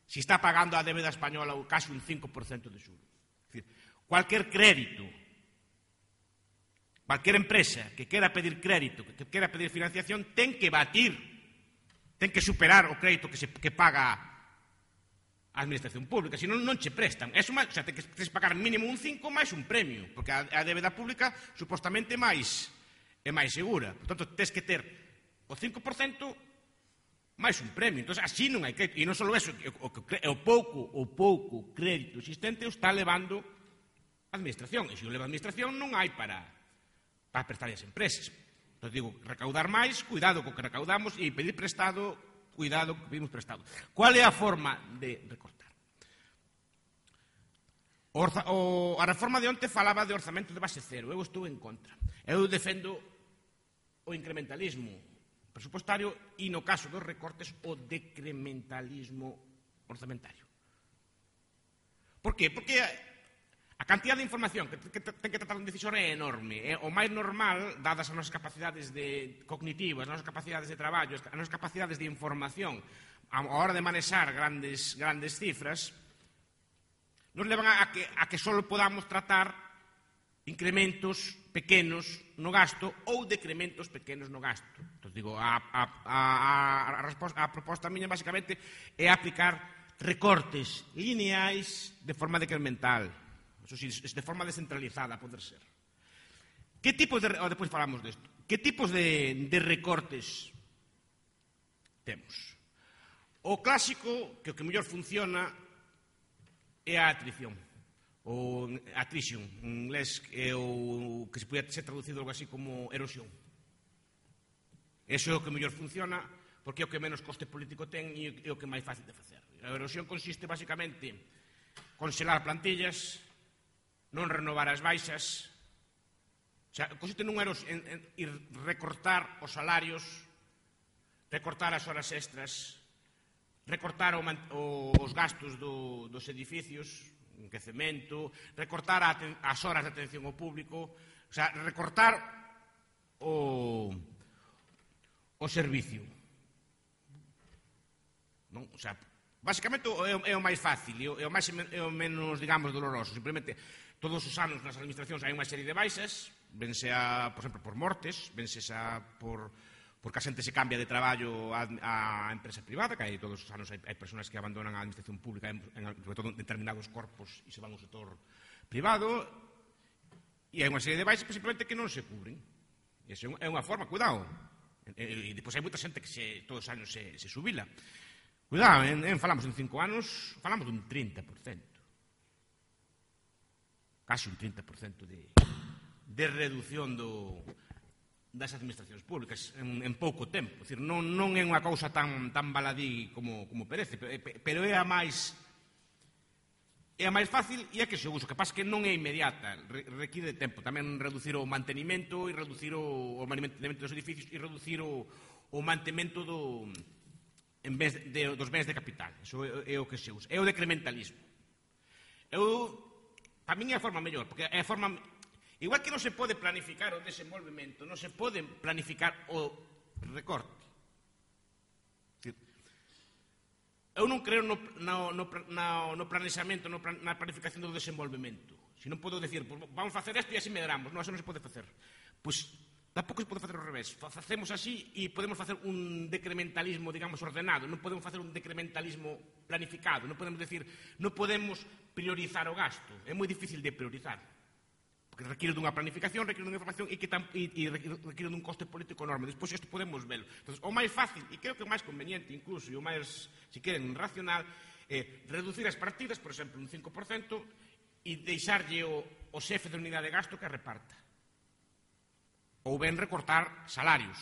Si está pagando a débeda española casi un 5% de xuro. É dicir, cualquier crédito, cualquier empresa que quera pedir crédito, que quera pedir financiación, ten que batir, ten que superar o crédito que paga a administración pública, senón non che prestan. O sea, ten que pagar mínimo un 5 máis un premio, porque a débeda pública supostamente é máis segura. Por tanto, tens que ter o 5% máis un premio. Entón, así non hai crédito. E non só eso, o pouco crédito existente o está levando a administración. E se o leva a administración non hai para prestar as empresas. Entón, digo, recaudar máis, cuidado co que recaudamos, e pedir prestado, cuidado que pedimos prestado. Cual é a forma de recortar? A reforma de onte falaba de orzamento de base cero. Eu estou en contra. Eu defendo o incrementalismo presupostario e, no caso dos recortes, o decrementalismo orzamentario. Por qué? Porque a cantidad de información que ten que tratar un decisor é enorme. É o máis normal, dadas as nosas capacidades cognitivas, as nosas capacidades de traballo, as nosas capacidades de información, a hora de manexar grandes cifras, nos levan a que só podamos tratar incrementos pequenos no gasto ou decrementos pequenos no gasto. Entón, digo, a proposta miña, basicamente, é aplicar recortes lineais de forma decremental. Eso sí, de forma descentralizada, a poder ser. Que tipos de... Depois falamos desto. Que tipos de recortes temos? O clásico, que o que mellor funciona, é a atrición. O attrition, en inglés, é o que se pode ser traducido algo así como erosión. Eso é o que mellor funciona, porque é o que menos coste político ten e é o que é máis fácil de facer. A erosión consiste, basicamente, congelar plantillas, non renovar as baixas, o sea, consiste nun ir recortar os salarios, recortar as horas extras, recortar os gastos dos edificios, enquecemento, recortar as horas de atención ao público, o sea, recortar o servicio. Non? O sea, basicamente é o máis fácil, é o menos, digamos, doloroso. Simplemente, todos os anos nas administracións hai unha serie de baixas, vense por exemplo, por mortes, vense porque a xente se cambia de traballo a empresa privada, que hai todos os anos hai persoas que abandonan a administración pública, sobre todo en determinados corpos, e se van ao sector privado, e hai unha serie de baixas simplemente que non se cubren. E iso é unha forma, cuidado. E depois hai moita xente que todos os anos se subila. Cuidado, falamos en 5 anos, falamos dun 30%. Casi un 30% de reducción das administracións públicas en pouco tempo. É dicir, non é unha cousa tan baladí como parece, pero é a máis fácil e é que se usa. O que pasa que non é inmediata, requiere tempo. Tamén reducir o mantenimento e reducir o mantenimento dos edificios e reducir o mantemento en vez dos bens de capital. Iso é o que se usa. É o decrementalismo. Para min é a forma mellor, porque é a forma... Igual que non se pode planificar o desenvolvemento, non se pode planificar o recorte. Eu non creo no planexamento, na planificación do desenvolvemento. Se non podo decir, vamos facer isto e así medramos. Non, eso non se pode facer. Pois tampouco se pode facer ao revés. Facemos así e podemos facer un decrementalismo, digamos, ordenado. Non podemos facer un decrementalismo planificado. Non podemos decir, non podemos priorizar o gasto. É moi difícil de priorizar. Porque requiere dunha planificación, requiere dunha información e requiere dun coste político enorme. Despois isto podemos velo. Entón, o máis fácil, e creo que o máis conveniente incluso, e o máis, se queren, racional, é reducir as partidas, por exemplo, un 5%, e deixarlle o xefe de unidade de gasto que reparta. Ou ben recortar salarios.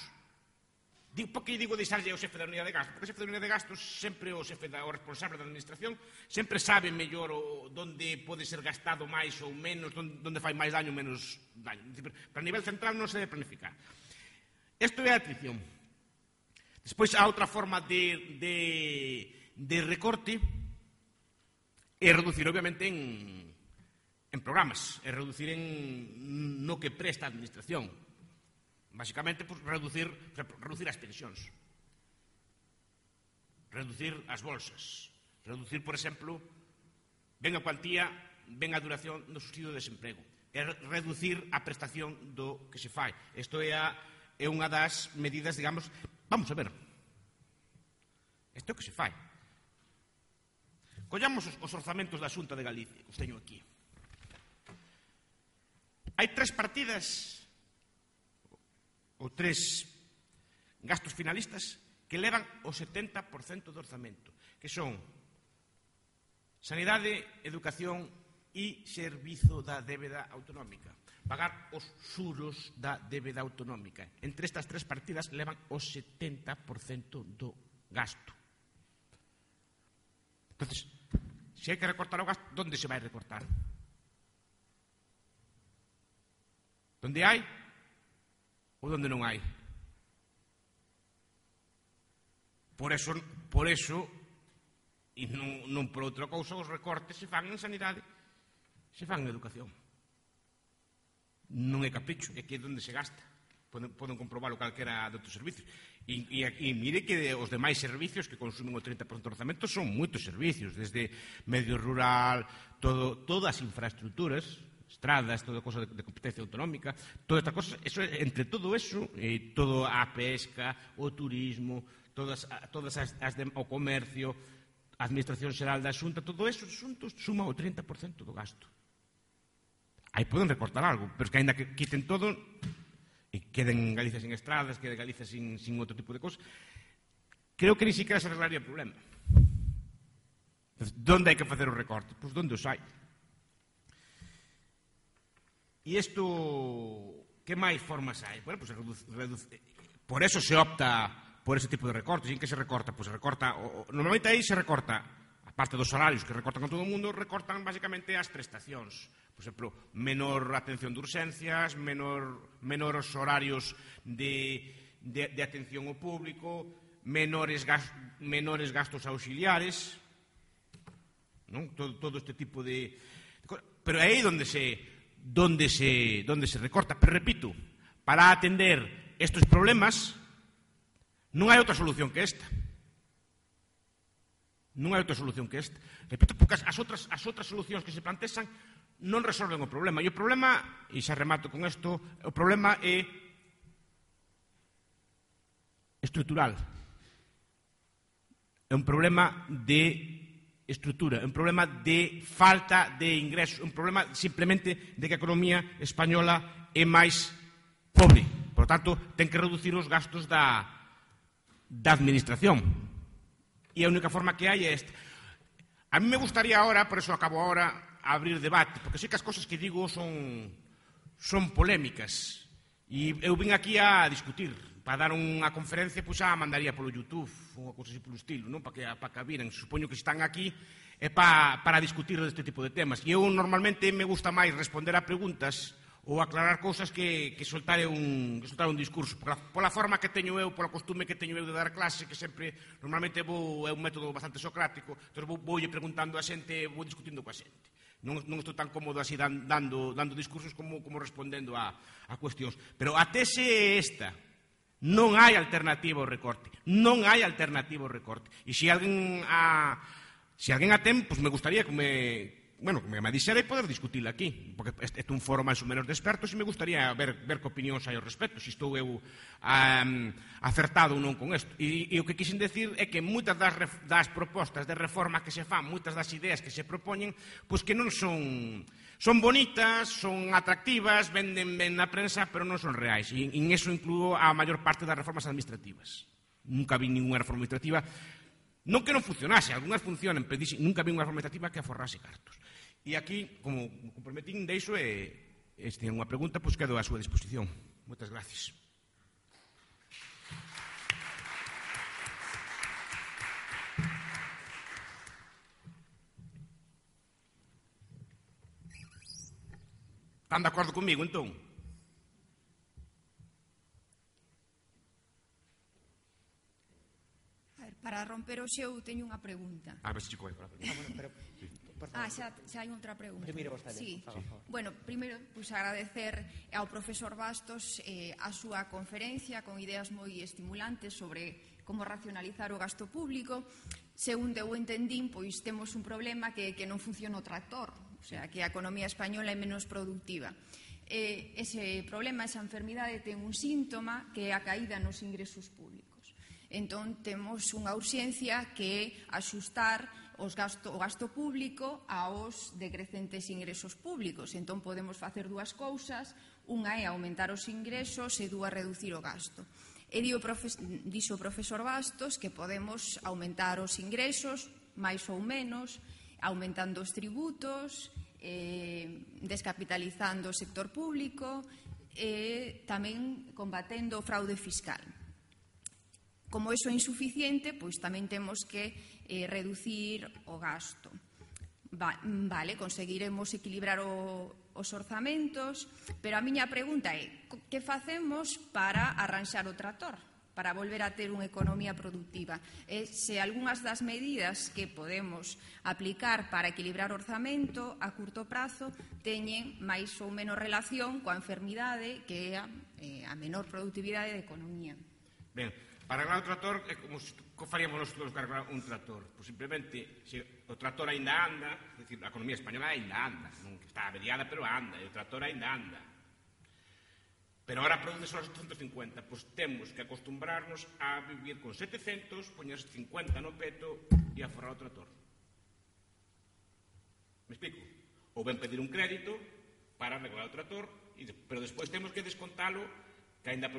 Por que digo deixarlle ao xefe da unidade de gastos? Porque o xefe da unidade de gastos, sempre o responsable da administración, sempre sabe mellor onde pode ser gastado máis ou menos, onde fai máis daño ou menos daño. Para nivel central non se debe planificar. Isto é a atrición. Despois, a outra forma de recorte é reducir, obviamente, en programas, é reducir no que presta a administración. Básicamente, pues, reducir as pensións, reducir as bolsas, reducir, por exemplo, ben a cuantía, ben a duración do subsidio de desemprego, é reducir a prestación do que se fai. Isto é unha das medidas, digamos, vamos a ver, isto é o que se fai. Collamos os orzamentos da Xunta de Galicia, os teño aquí. Hai 3 partidas ou 3 gastos finalistas que levan o 70% do orzamento, que son sanidade, educación e servizo da débeda autonómica. Pagar os xuros da débeda autonómica. Entre estas 3 partidas levan o 70% do gasto. Entonces, se hai que recortar o gasto, onde se vai recortar? Onde hai ou onde non hai? Por eso, e non por outra cousa, os recortes se fan en sanidade, se fan en educación. Non é capricho, é que é onde se gasta. Poden comprobarlo calquera de outros servicios. E mire que os demais servicios que consumen o 30% do orzamento son moitos servicios, desde medio rural, todas as infraestructuras, estradas, toda cosa de competencia autonómica, todas estas cosas, entre todo eso, toda a pesca, o turismo, todas o comercio, a Administración Xeral da Xunta, todo eso xuntos suma o 30% do gasto. Aí poden recortar algo, pero que ainda que quiten todo e queden Galicia sin estradas, queden Galicia sin outro tipo de cosas, creo que ni siquiera se arreglaría o problema. Entonces, onde hai que facer o recorte? Pois onde os hai. E isto, que máis formas hai? Bueno, pues por eso se opta por ese tipo de recortes. E en que se recorta? Pues se recorta, normalmente aí se recorta, aparte dos salarios que recortan a todo o mundo, recortan basicamente as prestacións. Por exemplo, menor atención de urxencias, menores horarios de atención ao público, menores gastos auxiliares, non? Todo este tipo de cosas. Pero é aí onde se recorta. Pero repito, para atender estes problemas non hai outra solución que esta. Non hai outra solución que esta. Repito, porque as outras solucións que se plantexan non resolven o problema. E o problema, e xa remato con isto, o problema é estrutural. É un problema de estrutura, é un problema de falta de ingresos, un problema simplemente de que a economía española é máis pobre. Por lo tanto, ten que reducir os gastos da administración. E a única forma que hai é esta. A mí me gustaría ahora, por eso acabo ahora, abrir debate, porque sei que as cosas que digo son polémicas. E eu vim aquí a discutir. Para dar unha conferencia, pois xa mandaría polo YouTube, unha cousa así polo estilo, non? Para que viran. Supoño que están aquí é para discutir deste tipo de temas. E eu normalmente me gusta máis responder a preguntas ou aclarar cousas que soltar un discurso. Pola forma que teño eu, pola costume que teño eu de dar clase, que sempre, normalmente é un método bastante socrático, entón voulle preguntando a xente, vou discutindo coa xente. Non estou tan cómodo así dando discursos como respondendo a cuestións. Pero a tese é esta. Non hai alternativa ao recorte. Non hai alternativa ao recorte. E se alguén a ten, pues me gustaría que me dixera e poder discutila aquí, porque este é un foro máis ou menos de expertos e me gustaría ver que opinións hai ao respecto, se estou eu acertado ou non con isto. E o que quixen decir é que moitas das propostas de reforma que se fan, moitas das ideas que se propoñen, pois que non son bonitas, son atractivas, venden ben na prensa, pero non son reais. E en eso incluo a maior parte das reformas administrativas. Nunca vi ninguna reforma administrativa, non que non funcionase, algunhas funcionan, pero nunca vi unha reforma administrativa que aforrase cartos. E aquí, como comprometín, deixo se ten unha pregunta, pois quedo á súa disposición. Moitas gracias. Están de acordo comigo, entón?
Para romper o xeo, teño unha pregunta.
A ver se chico vai para a pregunta.
Xa hai outra pregunta.
Primeiro vostede,
Sí.
por favor.
Bueno, primeiro, agradecer ao profesor Bastos a súa conferencia con ideas moi estimulantes sobre como racionalizar o gasto público. Segundo eu entendín, pois temos un problema que non funciona o tractor, o sea, que a economía española é menos productiva. Ese problema, esa enfermidade, ten un síntoma que é a caída nos ingresos públicos. Entón, temos unha urxencia que é axustar o gasto público aos decrecentes ingresos públicos. Entón, podemos facer dúas cousas. Unha é aumentar os ingresos e dúas, reducir o gasto. E dixo o profesor Bastos que podemos aumentar os ingresos, máis ou menos, aumentando os tributos, descapitalizando o sector público e tamén combatendo o fraude fiscal. Como iso é insuficiente, pois tamén temos que reducir o gasto. Vale, conseguiremos equilibrar os orzamentos, pero a miña pregunta é que facemos para arranxar o tractor, para volver a ter unha economía productiva? Se algunhas das medidas que podemos aplicar para equilibrar o orzamento a curto prazo teñen máis ou menos relación coa enfermidade que é a menor productividade da economía.
Ben, para arreglar o tractor é como se faríamos nós para arreglar un tractor. Pois simplemente, se o tractor ainda anda, é dicir, a economía española ainda anda, non está averiada, pero anda, e o tractor ainda anda. Pero agora produce só 750, pois temos que acostumbrarnos a vivir con 700, poñer 50 no peto e a forrar o tractor. Me explico? Ou ben pedir un crédito para arreglar o tractor, pero despois temos que descontalo que ainda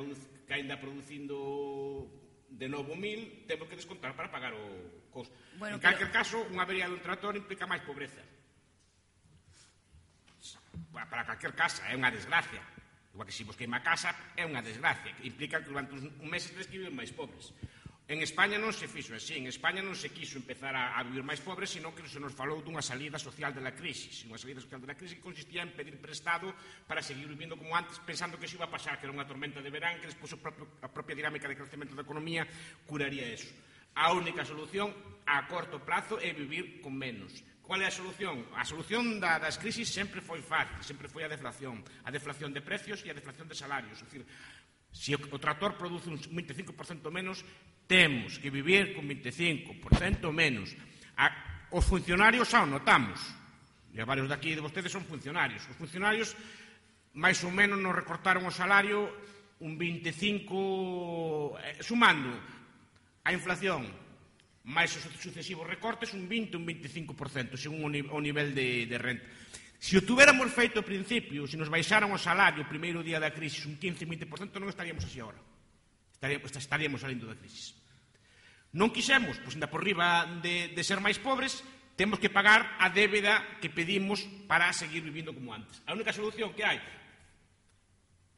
producindo de novo 1000, temos que descontar para pagar o costo. Bueno, en calquer caso, unha avería dun tractor implica máis pobreza. Para calquer casa, é unha desgracia. Igual que se vos queima a casa, é unha desgracia, que implica que durante un mes tedes que viver máis pobres. En España non se fixo así, en España non se quiso empezar a vivir máis pobres, sino que se nos falou dunha salida social da crisis. Unha salida social da crisis que consistía en pedir prestado para seguir vivindo como antes, pensando que iso iba a pasar, que era unha tormenta de verán, que despois a propia dinámica de crecemento da economía curaría eso. A única solución a corto prazo é vivir con menos. Qual é a solución? A solución das crisis sempre foi fácil, sempre foi a deflación de precios e a deflación de salarios. É dicir, se o tractor produce un 25% menos, temos que vivir con 25% menos. Os funcionarios xa o notamos. E varios daqui de vostedes son funcionarios. Os funcionarios, máis ou menos, nos recortaron o salario un 25%, sumando a inflación máis os sucesivos recortes, un 20% un 25%, según o nivel de renta. Se o tuviéramos feito ao principio, se nos baixaran o salario o primeiro día da crisis un 15-20%, non estaríamos así agora. Estaríamos salindo da crisis. Non quixemos, pois ainda por riba de ser máis pobres, temos que pagar a débeda que pedimos para seguir vivindo como antes. A única solución que hai,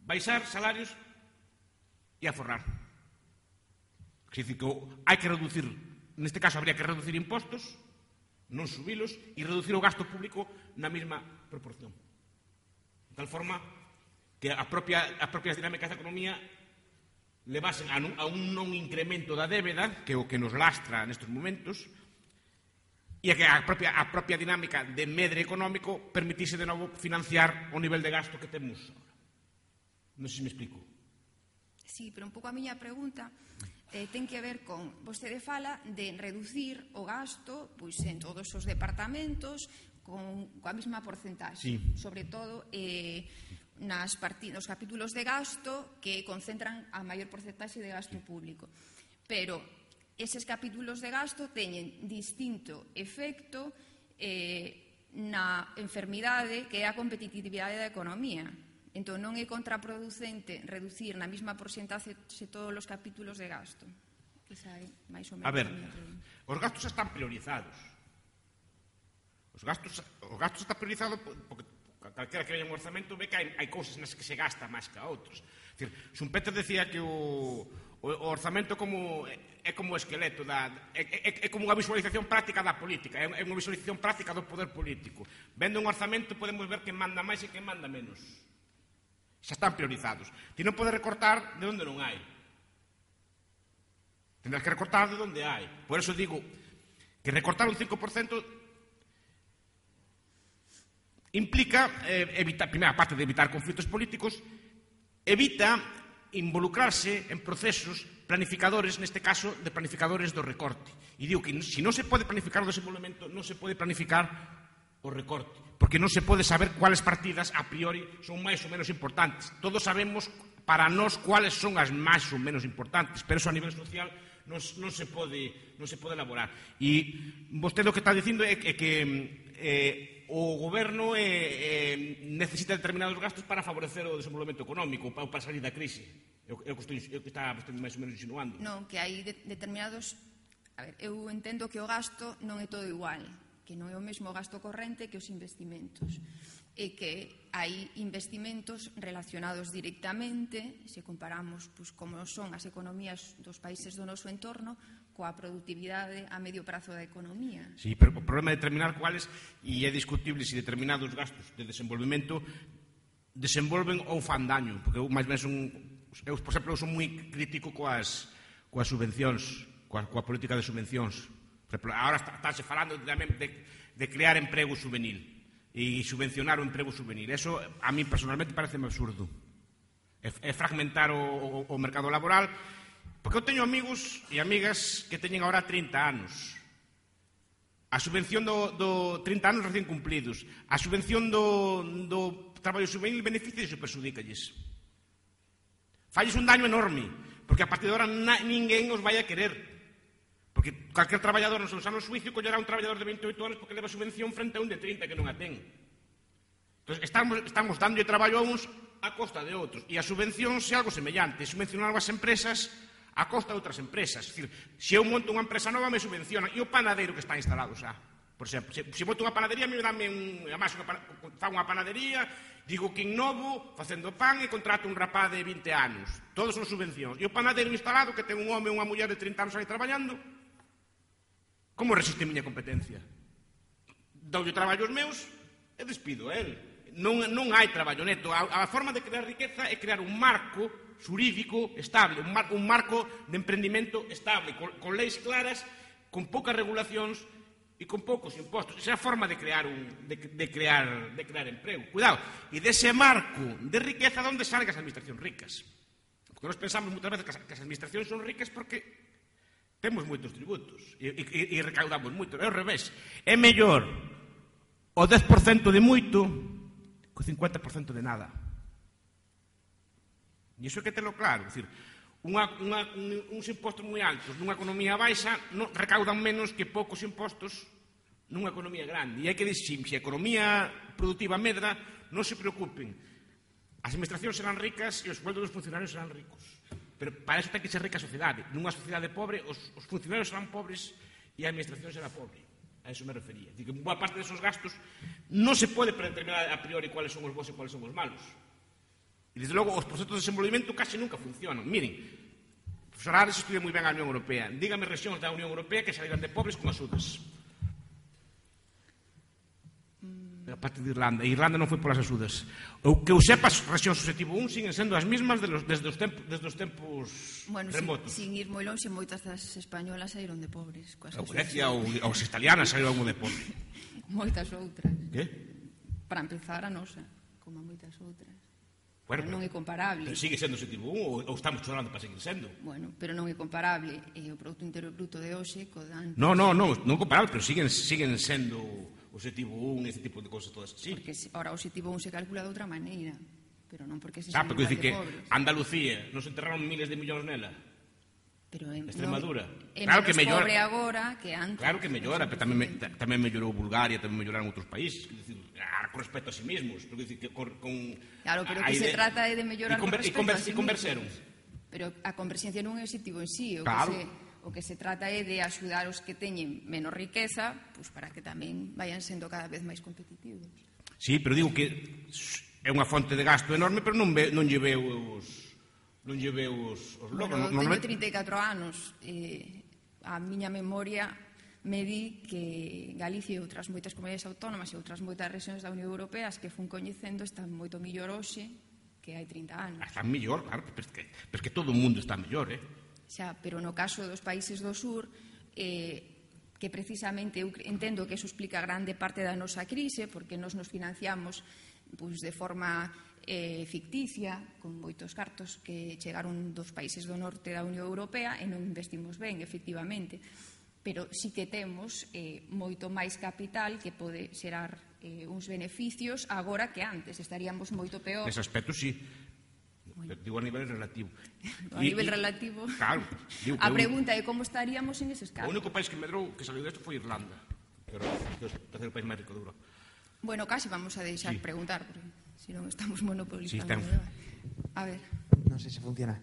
baixar salarios e aforrar. É dicir, que hai que reducir, neste caso habría que reducir impostos, non subilos, e reducir o gasto público na mesma proporción. De tal forma que as propias dinámicas da economía levasen a un non incremento da débeda, que é o que nos lastra nestes momentos, e que a propia dinámica de medre económico permitise de novo financiar o nivel de gasto que temos agora. Non sei se me explico.
Sí, pero un pouco a miña pregunta ten que ver con, vostede fala de reducir o gasto pois en todos os departamentos coa mesma porcentaxe,
sí.
Sobre todo nos capítulos de gasto que concentran a maior porcentaxe de gasto público. Pero eses capítulos de gasto teñen distinto efecto na enfermidade que é a competitividade da economía. Entón, non é contraproducente reducir na mesma porcentaxe todos os capítulos de gasto. Esa é máis ou menos
a ver,
a miña pregunta.
Os gastos están priorizados. Os gastos están priorizados porque calquera que veña un orzamento ve que hai cousas nas que se gasta máis que a outros. Schumpeter decía que o O orzamento é como o esqueleto, é como unha visualización práctica da política, é unha visualización práctica do poder político. Vendo un orzamento podemos ver quen manda máis e quen manda menos. Xa están priorizados. Ti non podes recortar de onde non hai. Tendrás que recortar de onde hai. Por eso digo que recortar un 5% implica, primeira parte de evitar conflitos políticos, evita involucrarse en procesos planificadores, neste caso, de planificadores do recorte. E digo que se non se pode planificar o desenvolvemento, non se pode planificar o recorte, porque non se pode saber cuáles partidas a priori son máis ou menos importantes. Todos sabemos para nós cuáles son as máis ou menos importantes, pero eso a nivel social non se pode elaborar. E vostede o que está dicindo é que o goberno necesita determinados gastos para favorecer o desenvolvemento económico, para salir da crise. É o que está máis ou menos insinuando.
Non, que hai determinados... A ver, eu entendo que o gasto non é todo igual, que non é o mesmo gasto corrente que os investimentos, e que hai investimentos relacionados directamente, se comparamos como son as economías dos países do noso entorno, coa productividade a medio prazo da economía.
Sí, pero o problema é determinar cuáles, e é discutible se determinados gastos de desenvolvemento desenvolven ou fan daño, porque eu máis ben por exemplo, son moi crítico coas subvencións, coa política de subvencións. Por exemplo, agora estáse falando tamén de crear emprego juvenil e subvencionar o emprego juvenil. Eso a mí personalmente parece absurdo. É fragmentar o mercado laboral. Porque eu teño amigos e amigas que teñen agora 30 anos. A subvención do 30 anos recién cumplidos. A subvención do traballo juvenil beneficia e perxudícalles. Falles un daño enorme, porque a partir de agora ninguén os vai a querer. Porque calquer traballador nos seus anos suicio collerá un traballador de 28 anos porque leva subvención frente a un de 30 que non a ten. Entón, estamos dando traballo a uns a costa de outros. E a subvención é algo semellante. Subvencionar as empresas a costa de outras empresas. É dicir, se eu monto unha empresa nova, me subvencionan. E o panadeiro que está instalado xa. Por exemplo, se monto unha panadería, me dame fa unha panadería, digo que innovo facendo pan e contrato un rapaz de 20 anos. Todos son subvencións. E o panadeiro instalado, que ten un home ou unha muller de 30 anos aí traballando, como resiste a miña competencia? Doulle traballo aos meus e despido a él. Non hai traballo neto. A forma de crear riqueza é crear un marco xurídico estable, un marco de emprendimento estable, con leis claras, con poucas regulacións e con poucos impostos. Esa é a forma de crear emprego. Cuidado, e dese marco de riqueza onde salen as administracións ricas. Porque nós pensamos moitas veces que as administracións son ricas porque temos moitos tributos e recaudamos moito. É ao revés. É mellor o 10% de moito que o 50% de nada. E iso é que telo claro. É dicir, uns impostos moi altos nunha economía baixa recaudan menos que poucos impostos nunha economía grande. E hai que dicir, se a economía productiva medra, non se preocupen. As administracións serán ricas e os sueldos dos funcionarios serán ricos. Pero para eso ten que ser rica a sociedade. Nunha sociedade pobre, os funcionarios serán pobres e a administración será pobre. A eso me refería. Digo, boa parte desos gastos non se pode predeterminar a priori cuáles son os bons e cuáles son os malos. E, desde logo, os proxectos de desenvolvemento casi nunca funcionan. Miren, o profesor Ares estudia moi ben a Unión Europea. Dígame rexións da Unión Europea que saíran de pobres con axudas. A parte de Irlanda. E Irlanda non foi polas axudas. O que eu sepa, as rexións subxetivo 1 siguen sendo as mismas desde os tempos remotos.
Sin ir moi longe, moitas das españolas saíron de pobres.
Ou Grecia, ou as italianas saíron de pobres.
Moitas outras.
Que?
Para empezar, a nosa, como moitas outras.
Bueno,
non é comparable.
Pero sigue sendo subxetivo 1 ou estamos chorando para seguir sendo?
Bueno, pero non é comparable. E o Produto Interior Bruto de hoxe co dan...
Non comparable, pero siguen sendo o objetivo 1 e ese tipo de cosas todas así.
Porque ahora o objetivo 1 se calcula de outra maneira, pero non porque se
porque dicir que Andalucía nos enterraron miles de millóns nela.
Pero
Extremadura.
É claro que mellora. Pobre agora que antes.
Claro que mellora, pero tamén mellorou Bulgaria, tamén melloraron outros países, con respecto a sí mismos,
claro, pero que se trata de mellorar con respecto a sí mismos. E converseron. Pero a converxencia non é o objetivo en sí, o que se trata é de axudar os que teñen menos riqueza, pues para que tamén vayan sendo cada vez máis competitivos. Sí,
pero digo que é unha fonte de gasto enorme, pero non lle veo Non lle veo os logros.
Bueno, teño 34 anos. A miña memoria me di que Galicia e outras moitas comunidades autónomas e outras moitas rexións da Unión Europea as que fun coñecendo están moito millor hoxe que hai 30 anos.
Están mellor, claro, pero es que todo o mundo está mellor,
Xa, pero no caso dos países do sur, que precisamente eu entendo que eso explica grande parte da nosa crise, porque nos financiamos de forma ficticia, con moitos cartos que chegaron dos países do norte da Unión Europea e non investimos ben, efectivamente. Pero sí que temos moito máis capital que pode xerar uns beneficios agora que antes. Estaríamos moito peor.
Nese aspecto, sí. Digo a nivel relativo.
A nivel relativo.
Claro.
A pregunta é como estaríamos en eses casos.
O único país que medrou que saliu desto foi Irlanda, que era o terceiro país máis rico de Europa.
Bueno, casi vamos a deixar preguntar, porque se non estamos monopolizando.
Sí,
a ver.
Non sei se funciona.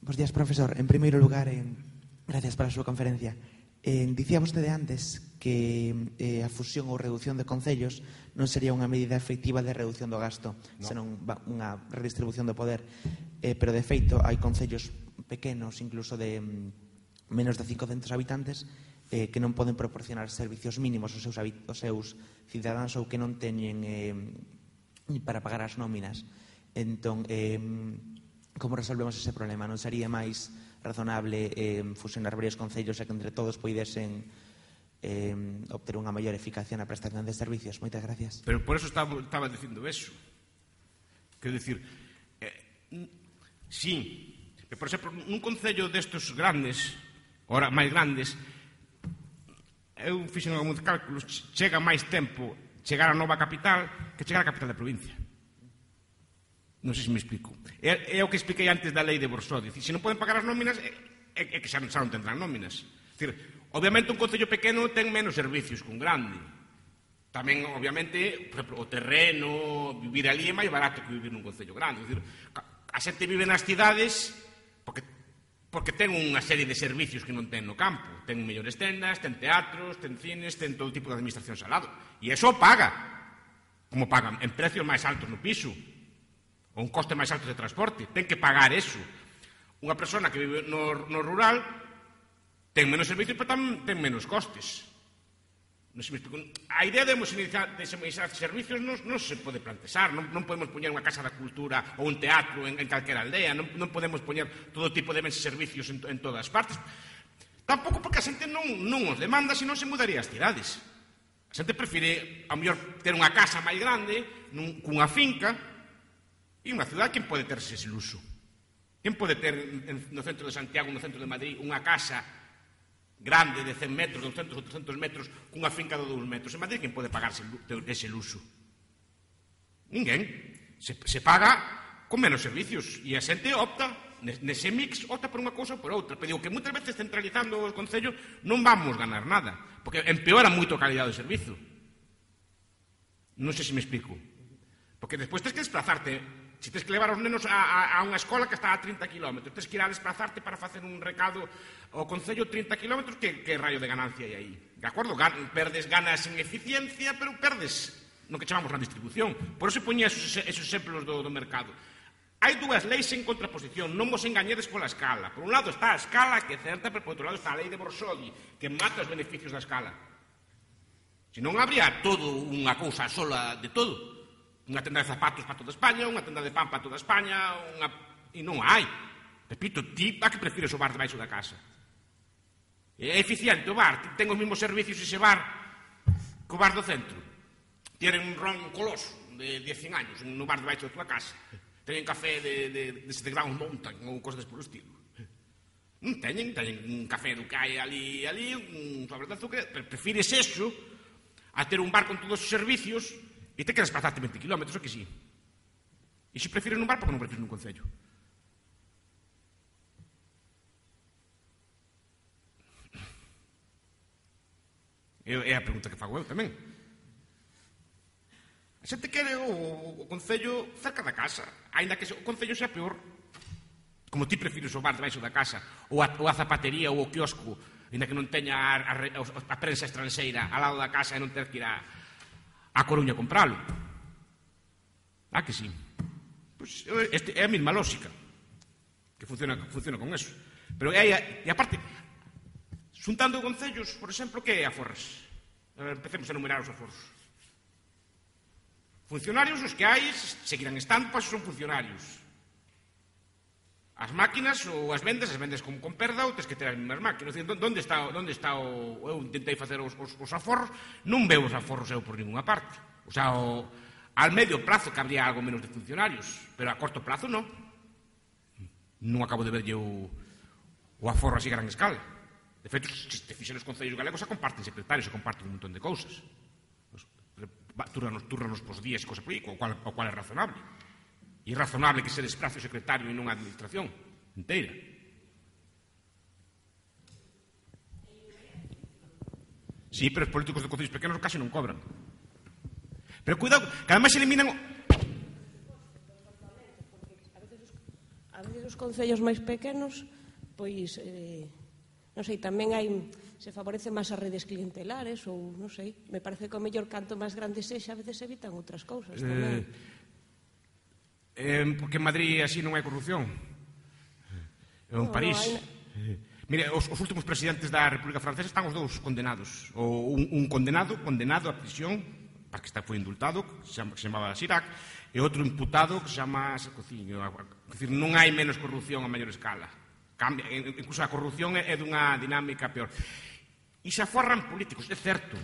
Bos días, profesor. En primeiro lugar, gracias para a súa conferencia. Dicía vostede antes que a fusión ou reducción de concellos non sería unha medida efectiva de reducción do gasto, senón unha redistribución do poder. Pero, de feito, hai concellos pequenos, incluso de menos de 500 habitantes, que non poden proporcionar servicios mínimos aos seus cidadáns ou que non teñen para pagar as nóminas. Entón, como resolvemos ese problema? Non sería máis razonable fusionar varios concellos e que entre todos poidesen obter unha maior eficacia na prestación de servicios? Moitas gracias.
Pero por eso estaba dicindo eso. Quero dicir, sí, por exemplo, nun concello destes grandes, ora máis grandes, eu fixen algúns cálculos, chega máis tempo chegar á nova capital que chegar á capital da provincia. Non sei se me explico. É o que expliquei antes da lei de Borsodi. Se non poden pagar as nóminas, é que xa non tendrán nóminas. Obviamente, un concello pequeno ten menos servicios que un grande. Tamén, obviamente, por exemplo, o terreno, vivir ali é máis barato que vivir nun concello grande. A xente vive nas cidades porque ten unha serie de servicios que non ten no campo. Ten mellores tendas, ten teatros, ten cines, ten todo tipo de administración ao lado. E iso paga. Como pagan en precios máis altos no piso, ou un coste máis alto de transporte. Ten que pagar eso. Unha persona que vive no rural ten menos servicios, pero tamén ten menos costes. Non se me explico. A idea de homogeneizar servicios non se pode plantexar. Non podemos poñer unha casa da cultura ou un teatro en calquera aldea. Non podemos poñer todo tipo de bens e servicios en todas partes. Tampouco porque a xente non os demanda, senón se mudaría as cidades. A xente prefire, ao mellor, ter unha casa máis grande, cunha finca. E unha cidade, quen pode terse ese luxo? Quen pode ter no centro de Santiago, no centro de Madrid, unha casa grande de 100 metros, 200 ou 300 metros, cunha finca de 2 metros? En Madrid, quen pode pagarse ese luxo? Ninguén. Se paga con menos servicios. E a xente opta, nese mix, opta por unha cousa ou por outra. Pero digo que moitas veces centralizando o Concello non vamos ganar nada, porque empeora moito a calidade do servizo. Non sei se me explico. Porque despois tens que desplazarte. Se tens que levar os nenos a unha escola que está a 30 km, tens que ir a desplazarte para facer un recado ao Concello 30 km, que raio de ganancia hai aí? De acordo, perdes ganas en eficiencia, pero perdes no que chamamos na distribución. Por eso poñía esos exemplos do mercado. Hai dúas leis en contraposición, non vos engañedes pola escala. Por un lado está a escala, que é certa, pero por outro lado está a lei de Borsodi, que mata os beneficios da escala. Se non habría todo unha cousa sola de todo. Unha tenda de zapatos para toda España, unha tenda de pan para toda España, e non hai. Repito, ti a que prefires o bar debaixo da casa? É eficiente o bar? Ten os mesmos servicios ese bar que o bar do centro? Tienen un ron coloso de 100 años no bar debaixo da tua casa? Teñen café de Ground Mountain ou cosas por estilo? Non teñen un café do que hai ali, un sobre de azúcar. Prefires eso a ter un bar con todos os servicios e te que desplazarte 20 km, o que sí. E se prefires nun bar, porque non prefires nun concello? É a pregunta que fago eu tamén. A xente quere o concello cerca da casa, aínda que o concello sea peor. Como ti prefires o bar debaixo da casa, ou a zapatería ou o quiosco, aínda que non teña a prensa estranxeira ao lado da casa e non ter que ir a Coruña compralo. Ah, que sí. Pois é a mesma lógica que funciona con eso. Pero e aparte, xuntando concellos, por exemplo, que é aforras? Empecemos a enumerar os aforros. Funcionarios, os que hai, seguirán estando, pois son funcionarios. As máquinas ou as vendes con perda ou tens que ter as mesmas máquinas. Onde está o... Eu intentei facer os aforros, non veo os aforros eu por ninguna parte. O sea, al medio plazo que habría algo menos de funcionarios, pero a corto plazo non. Non acabo de verlle o aforro así a gran escala. De feito, se te fixen os concellos galegos, se comparten secretarios, se comparten un montón de cousas. Túranos pos días e cosas por aí, o cual é razonable. E é razonable que se desplace o secretario e non a administración inteira. Sí, pero os políticos de concellos pequenos casi non cobran. Pero cuidado, que ademais eliminan...
A veces os concellos máis pequenos, pois, non sei, tamén hai... se favorecen máis as redes clientelares ou, non sei, me parece que o mellor canto máis grande sexa, a veces evitan outras cousas tamén.
Porque en Madrid así non hai corrupción. Ou en París. Mire, os últimos presidentes da República Francesa están os dous condenados. Un condenado a prisión, para que foi indultado, que se chamaba Chirac, e outro imputado que se chama Sarkozy. É dicir, non hai menos corrupción a maior escala. Incluso a corrupción é dunha dinámica peor. E se aforran políticos, é certo.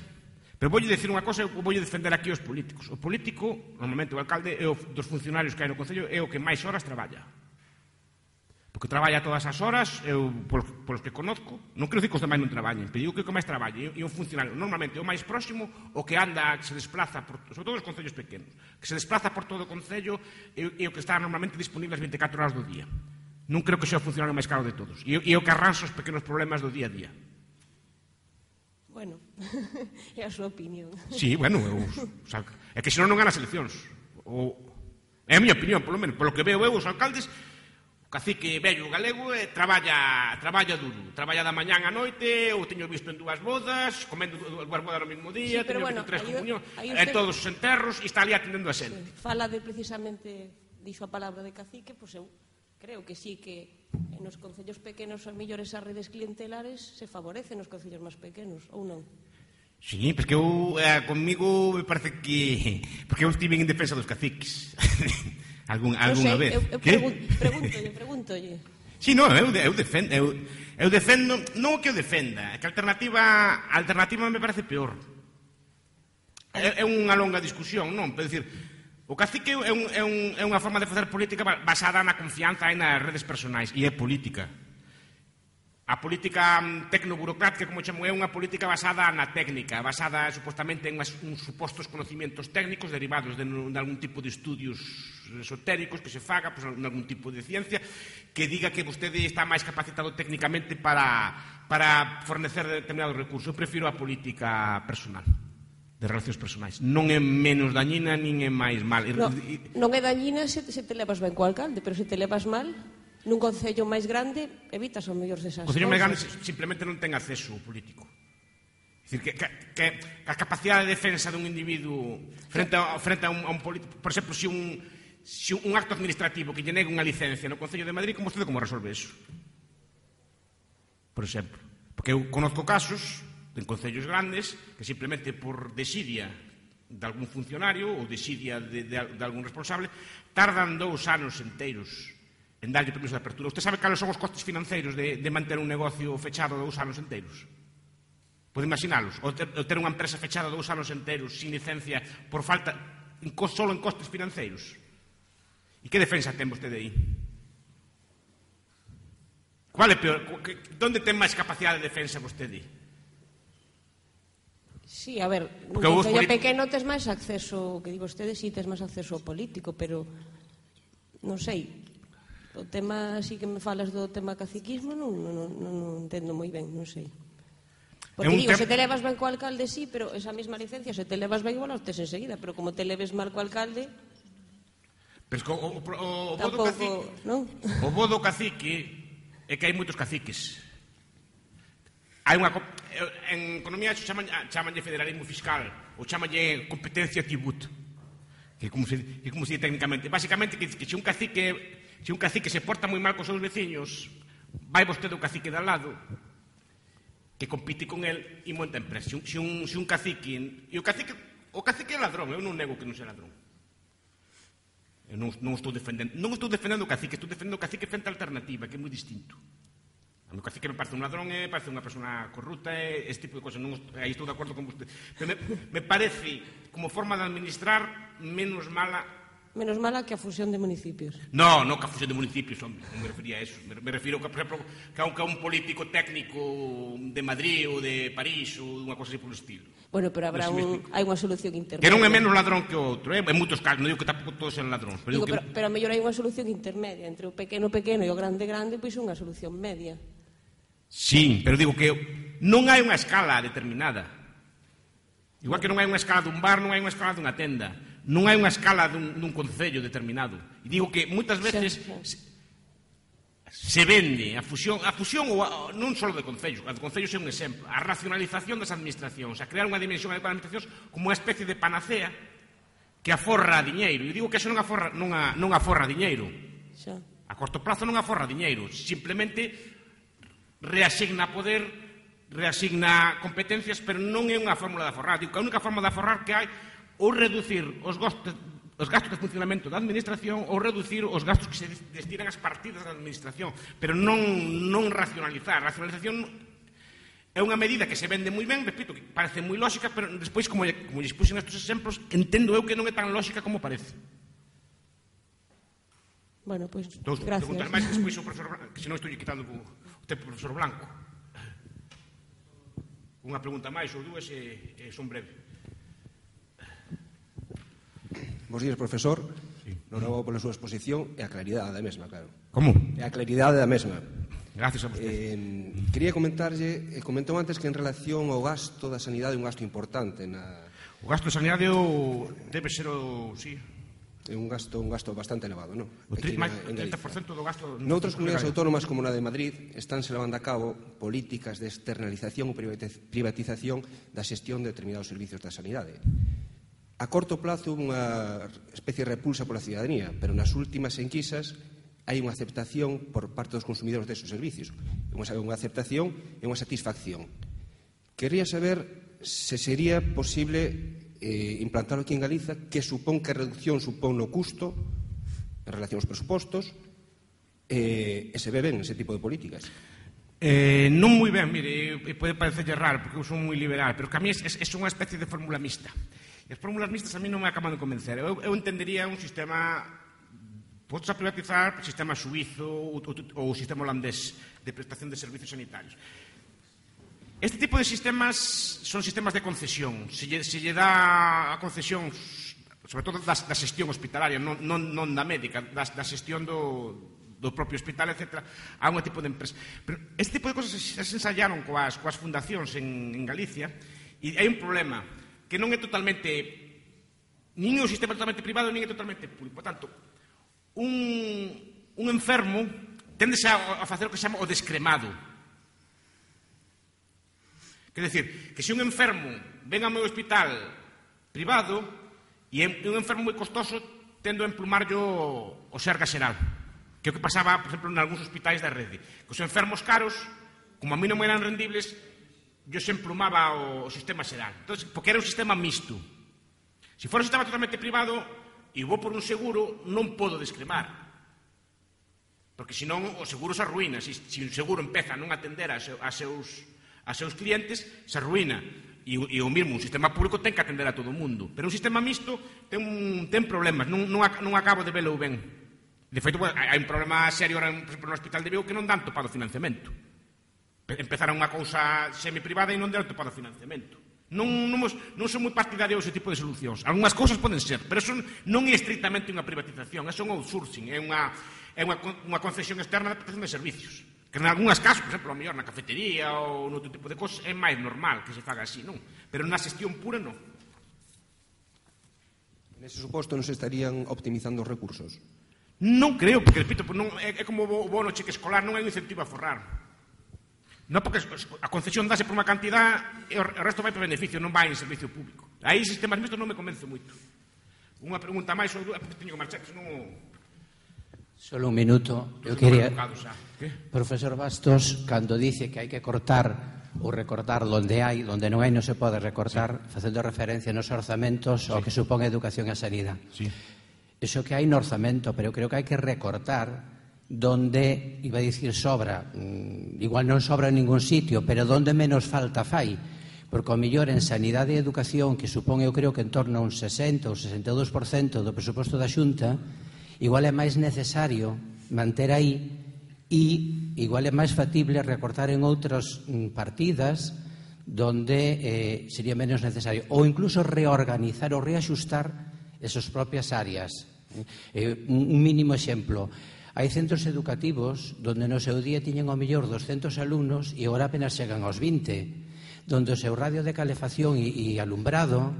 Pero voulle dicir unha cosa, eu voulle defender aquí os políticos. O político, normalmente o alcalde, é dos funcionarios que hai no Concello, é o que máis horas traballa. Porque traballa todas as horas, eu, polos que conozco, non quero dicir que os demais non traballen, pero digo que o que máis traballa é un funcionario, normalmente o máis próximo, o que anda, que se desplaza, sobre todo os concellos pequenos, que se desplaza por todo o Concello e o que está normalmente disponible as 24 horas do día. Non creo que sea o funcionario máis caro de todos. E o que arranxa os pequenos problemas do día a día.
Bueno, é a súa opinión.
Sí, bueno, é que senón non gana as eleccións. É a miña opinión, polo menos. Polo que veo eu, os alcaldes, o cacique vello galego traballa duro. Traballa da mañán á noite, ou teño visto en dúas bodas, comendo dúas bodas no mesmo día, teño visto tres comunións, en todos os enterros, e está ali atendendo a xente.
Fala de precisamente, dixo a palabra de cacique, pois eu creo que sí que nos concellos pequenos a mellor esas redes clientelares se favorecen nos concellos máis pequenos, ou non?
Sí, porque eu, conmigo me parece que... Porque eu estive en defensa dos caciques. Alguna vez.
Eu pregúntolle.
Sí, non, eu defendo, non o que eu defenda, é que a alternativa me parece peor. É unha longa discusión, non? Pero dicir, o cacique é unha forma de facer política basada na confianza e nas redes personais, e é política. A política tecnoburocrática, como chamo, é unha política basada na técnica, basada supostamente en uns supostos conocimientos técnicos derivados de algún tipo de estudios esotéricos que se faga, en algún tipo de ciencia, que diga que vostede está máis capacitado técnicamente para fornecer determinados recursos. Eu prefiro a política personal, de relacións personais. Non é menos dañina, nin é máis mal.
Non é dañina se te levas ben co alcalde, pero se te levas mal, nun concello máis grande, evitas o mellor desas cousas.
O concello máis grande simplemente non ten acceso político. É dicir, que a capacidade de defensa dun individuo frente a un político, por exemplo, se un acto administrativo que lle negue unha licencia no Concello de Madrid, como resolve eso? Por exemplo, porque eu conozco casos en concellos grandes que simplemente por desidia de algún funcionario ou desidia de algún responsable tardan 2 anos enteiros en darlle permiso de apertura. Usted sabe cales son os costes financeiros de manter un negocio fechado 2 anos enteiros? Pode imaginalos. O ter unha empresa fechada 2 anos enteiros sin licencia por falta, solo en costes financeiros. E que defensa ten vostede aí? Qual é peor? Donde ten máis capacidade de defensa vostede?
Sí, a ver, nun concello pequeno tes máis acceso, que digo vostede, sí, tes máis acceso político, pero non sei. O tema, así que me falas do tema caciquismo, non entendo moi ben, non sei. Porque digo, se te levas ben co alcalde, sí, pero esa mesma licencia, se te levas ben, igual os tes enseguida, pero como te leves mal co alcalde...
Pero o bo do cacique é que hai moitos caciques. Hai unha... En economía chamanlle federalismo fiscal, ou chamanlle competencia tributo. que como se di técnicamente, basicamente que se un cacique se porta moi mal cos seus veciños, vai vostede o cacique de al lado, que compite con el e monta empresa. Se un cacique... E o cacique é ladrón, eu non nego que non sea ladrón. Eu non estou defendendo o cacique, estou defendendo o cacique frente a alternativa, que é moi distinto. A meu cacique me parece un ladrón, parece unha persona corrupta, este tipo de cosas. Aí estou de acordo con vostede. Pero me parece, como forma de administrar, menos mala...
Menos mala que a fusión de municipios.
Non que a fusión de municipios, hombre, non me refería a eso. Me refiro, por exemplo, que a un político técnico de Madrid ou de París ou unha cosa así polo estilo.
Bueno, pero hai unha solución intermedia.
Que non é menos ladrón que o outro, en moitos casos, non digo que tampouco todos sean ladróns.
Pero a mellor hai unha solución intermedia entre o pequeno e o grande, pois unha solución media.
Sí, pero digo que non hai unha escala determinada. Igual que non hai unha escala dun bar, non hai unha escala dunha tenda. Non hai unha escala dun concello determinado. E digo que moitas veces se vende a fusión non só de concellos, a de concellos é un exemplo, a racionalización das administracións, a crear unha dimensión de administracións como unha especie de panacea que aforra diñeiro. E digo que eso non aforra diñeiro. A corto plazo non aforra diñeiro, simplemente reasigna poder, reasigna competencias, pero non é unha fórmula de aforrar. Digo que a única forma de aforrar que hai ou reducir os gastos de funcionamento da administración ou reducir os gastos que se destinan ás partidas da administración, pero non racionalizar. A racionalización é unha medida que se vende moi ben, repito, que parece moi lógica, pero despois, como lles puxen estes exemplos, entendo eu que non é tan lógica como parece.
Bueno, pois,
gracias. Preguntar máis que despois o profesor Blanco, que senón estou quitando o tempo do profesor Blanco. Unha pregunta máis ou dúas e son breve.
Bos días, profesor. Nobrabo pola súa exposición e a claridade da mesma, claro.
Como?
E a claridade da mesma.
Gracias a vostede.
Quería comentarlle, comentou antes que en relación ao gasto da sanidade é un gasto importante.
O gasto da sanidade debe ser sí.
É un gasto bastante elevado, non?
O 30% do gasto...
Noutras comunidades autónomas como na de Madrid estánse levando a cabo políticas de externalización ou privatización da xestión de determinados servicios da sanidade. A corto plazo unha especie de repulsa pola ciudadanía, pero nas últimas enquisas hai unha aceptación por parte dos consumidores desos servicios. Unha aceptación e unha satisfacción. Quería saber se sería posible implantarlo aquí en Galiza, que reducción supón no custo en relación aos presupostos e se ve ben ese tipo de políticas.
Non moi ben, mire, pode parecerlle raro, porque eu son moi liberal, pero que a mí é unha especie de fórmula mixta. E as fórmulas mixtas a mí non me acaban de convencer. Eu entendería un sistema, podes a privatizar o sistema suizo ou o sistema holandés de prestación de servicios sanitarios. Este tipo de sistemas son sistemas de concesión. Se lle dá a concesión, sobre todo da xestión hospitalaria, non da médica, da xestión do propio hospital, etc., a un tipo de empresa. Pero este tipo de cosas se ensayaron coas fundacións en Galicia, e hai un problema, que non é totalmente, nin é un sistema totalmente privado, nin é totalmente público. Por tanto, un enfermo tendese a facer o que se chama o descremado. Quer decir, que se un enfermo ven ao meu hospital privado e é un enfermo moi costoso, tendo a emplumarlo o Serga Xeral, que é o que pasaba, por exemplo, en algúns hospitais da rede. Que os enfermos caros, como a mí non eran rendibles, yo se emplumaba o sistema xeral. Entonces, porque era un sistema mixto. Se fora un sistema totalmente privado e vou por un seguro, non podo descremar. Porque senón o seguro se arruína. Se un seguro empeza a non atender a seus clientes, se arruína. E o mesmo, un sistema público ten que atender a todo o mundo. Pero un sistema mixto ten problemas. Non acabo de velo ben. De feito, hai un problema serio ahora, por exemplo, no Hospital de Vigo, que non dan topado financiamento. Empezaron unha cousa semi-privada e non deron topado financiamento. Non son moi partidarios ese tipo de solucións. Algúnas cousas poden ser, pero eso non é estrictamente unha privatización, é un outsourcing, é unha concesión externa de prestación de servicios. Que en algúnas casos, por exemplo, a mellor na cafetería ou noutro tipo de cosas, é máis normal que se faga así, non? Pero na xestión pura, non.
Nese suposto non se estarían optimizando os recursos?
Non creo, porque, repito, é como o bono cheque escolar, non é un incentivo a forrar. Non, porque a concesión dase por unha cantidad e o resto vai para beneficio, non vai en servicio público. Aí sistemas mistos non me convence moito. Unha pregunta máis ou dúas, porque teño que marchar, que senón...
Solo un minuto. Eu quería... Profesor Bastos, cando dice que hai que cortar ou recortar onde non hai non se pode recortar, facendo referencia nos orzamentos ao que supón a educación e a sanidade. Iso que hai no orzamento, pero eu creo que hai que recortar donde, iba a dicir sobra, igual non sobra en ningún sitio, pero donde menos falta fai, porque ao mellor en sanidade e educación, que supón eu creo que en torno a un 60 ou 62% do presuposto da Xunta, igual é máis necesario manter aí e igual é máis factible recortar en outras partidas donde sería menos necesario, ou incluso reorganizar ou reaxustar esas propias áreas. Un mínimo exemplo, hai centros educativos donde no seu día tiñen ao mellor 200 alumnos e agora apenas chegan aos 20, donde o seu radio de calefacción e alumbrado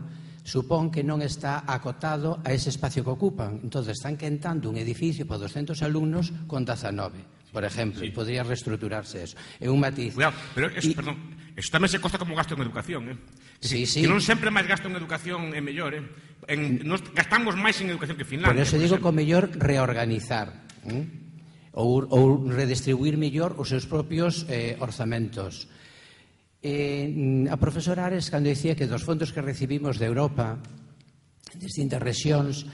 supón que non está acotado a ese espacio que ocupan. Entón, están quentando un edificio para 200 alumnos con 19, por exemplo, e podría reestruturarse eso. É un matiz.
Cuidado, pero, perdón, eso tamén se costa como gasto en educación,
Sí.
Que non sempre máis gasto en educación é mellor, Nos gastamos máis en educación que Finlandia.
Por eso digo que o mellor reorganizar ou redistribuir mellor os seus propios orzamentos. A profesora Ares, cando dicía que dos fondos que recibimos de Europa, en distintas rexións,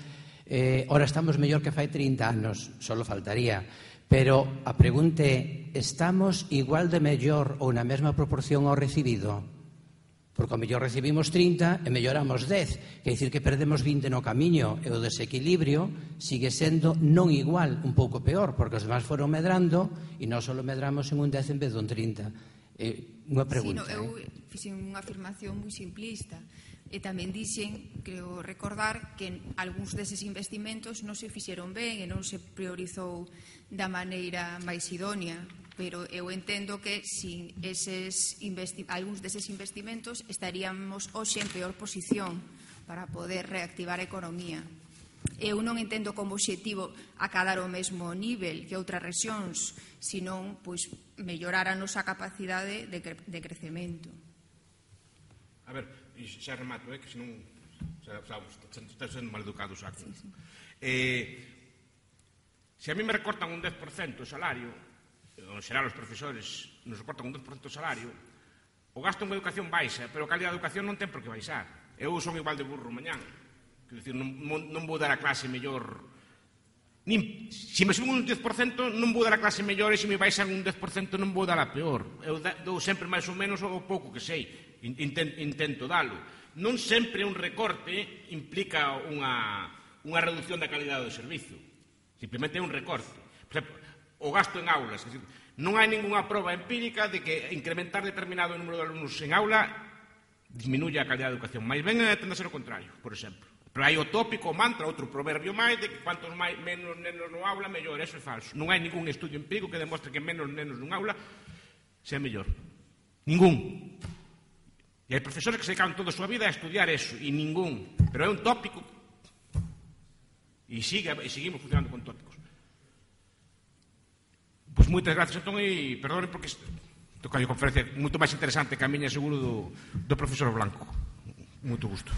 ora estamos mellor que fai 30 anos, só faltaría. Pero a pregunta é, estamos igual de mellor ou na mesma proporción ao recibido? Porque ao mellor recibimos 30 e melloramos 10, quer dicir que perdemos 20 no camiño, e o desequilibrio sigue sendo non igual, un pouco peor, porque os demás foron medrando e nós só medramos en un 10 en vez de un 30. Unha pregunta.
Eu fixen unha afirmación moi simplista e tamén dixen, creo recordar, que algúns deses investimentos non se fixeron ben e non se priorizou da maneira máis idónea, pero eu entendo que sin algúns deses investimentos estaríamos hoxe en peor posición para poder reactivar a economía. Eu non entendo como obxectivo acadar o mesmo nivel que outras rexións, senón mellorar a nosa capacidade de crecemento.
A ver, xa remato, que senón estás sendo maleducado, saco. Se a mí me recortan un 10% o salario, en xeral os profesores nos recortan un 10% o salario, o gasto en educación baixa, pero a calidad de educación non ten por que baixar. Eu son igual de burro mañán. Quer dicir, non vou dar a clase mellor. Se me suben un 10% non vou dar a clase mellor, e se me baixan un 10% non vou dar a peor. Eu dou sempre máis ou menos o pouco que sei. Intento dalo. Non sempre un recorte implica unha reducción da calidade do servizo. Simplemente é un recorte. Por exemplo, o gasto en aulas. Non hai ningunha proba empírica de que incrementar determinado número de alumnos en aula disminuye a calidad da educación. Mais ben tende a ser o contrario, por exemplo. Pero hai o tópico, o mantra, outro proverbio máis, de que cuantos menos nenos no aula, mellor. Eso é falso. Non hai ningún estudio empírico que demostre que menos nenos nun aula sea mellor. Ningún. E hai profesores que se dedican toda a súa vida a estudiar eso, e ningún. Pero é un tópico. E seguimos funcionando con tópicos. Pois moitas gracias, entón, e perdonen porque toca a conferencia moito máis interesante que a miña, seguro, do profesor Blanco. Moito gusto.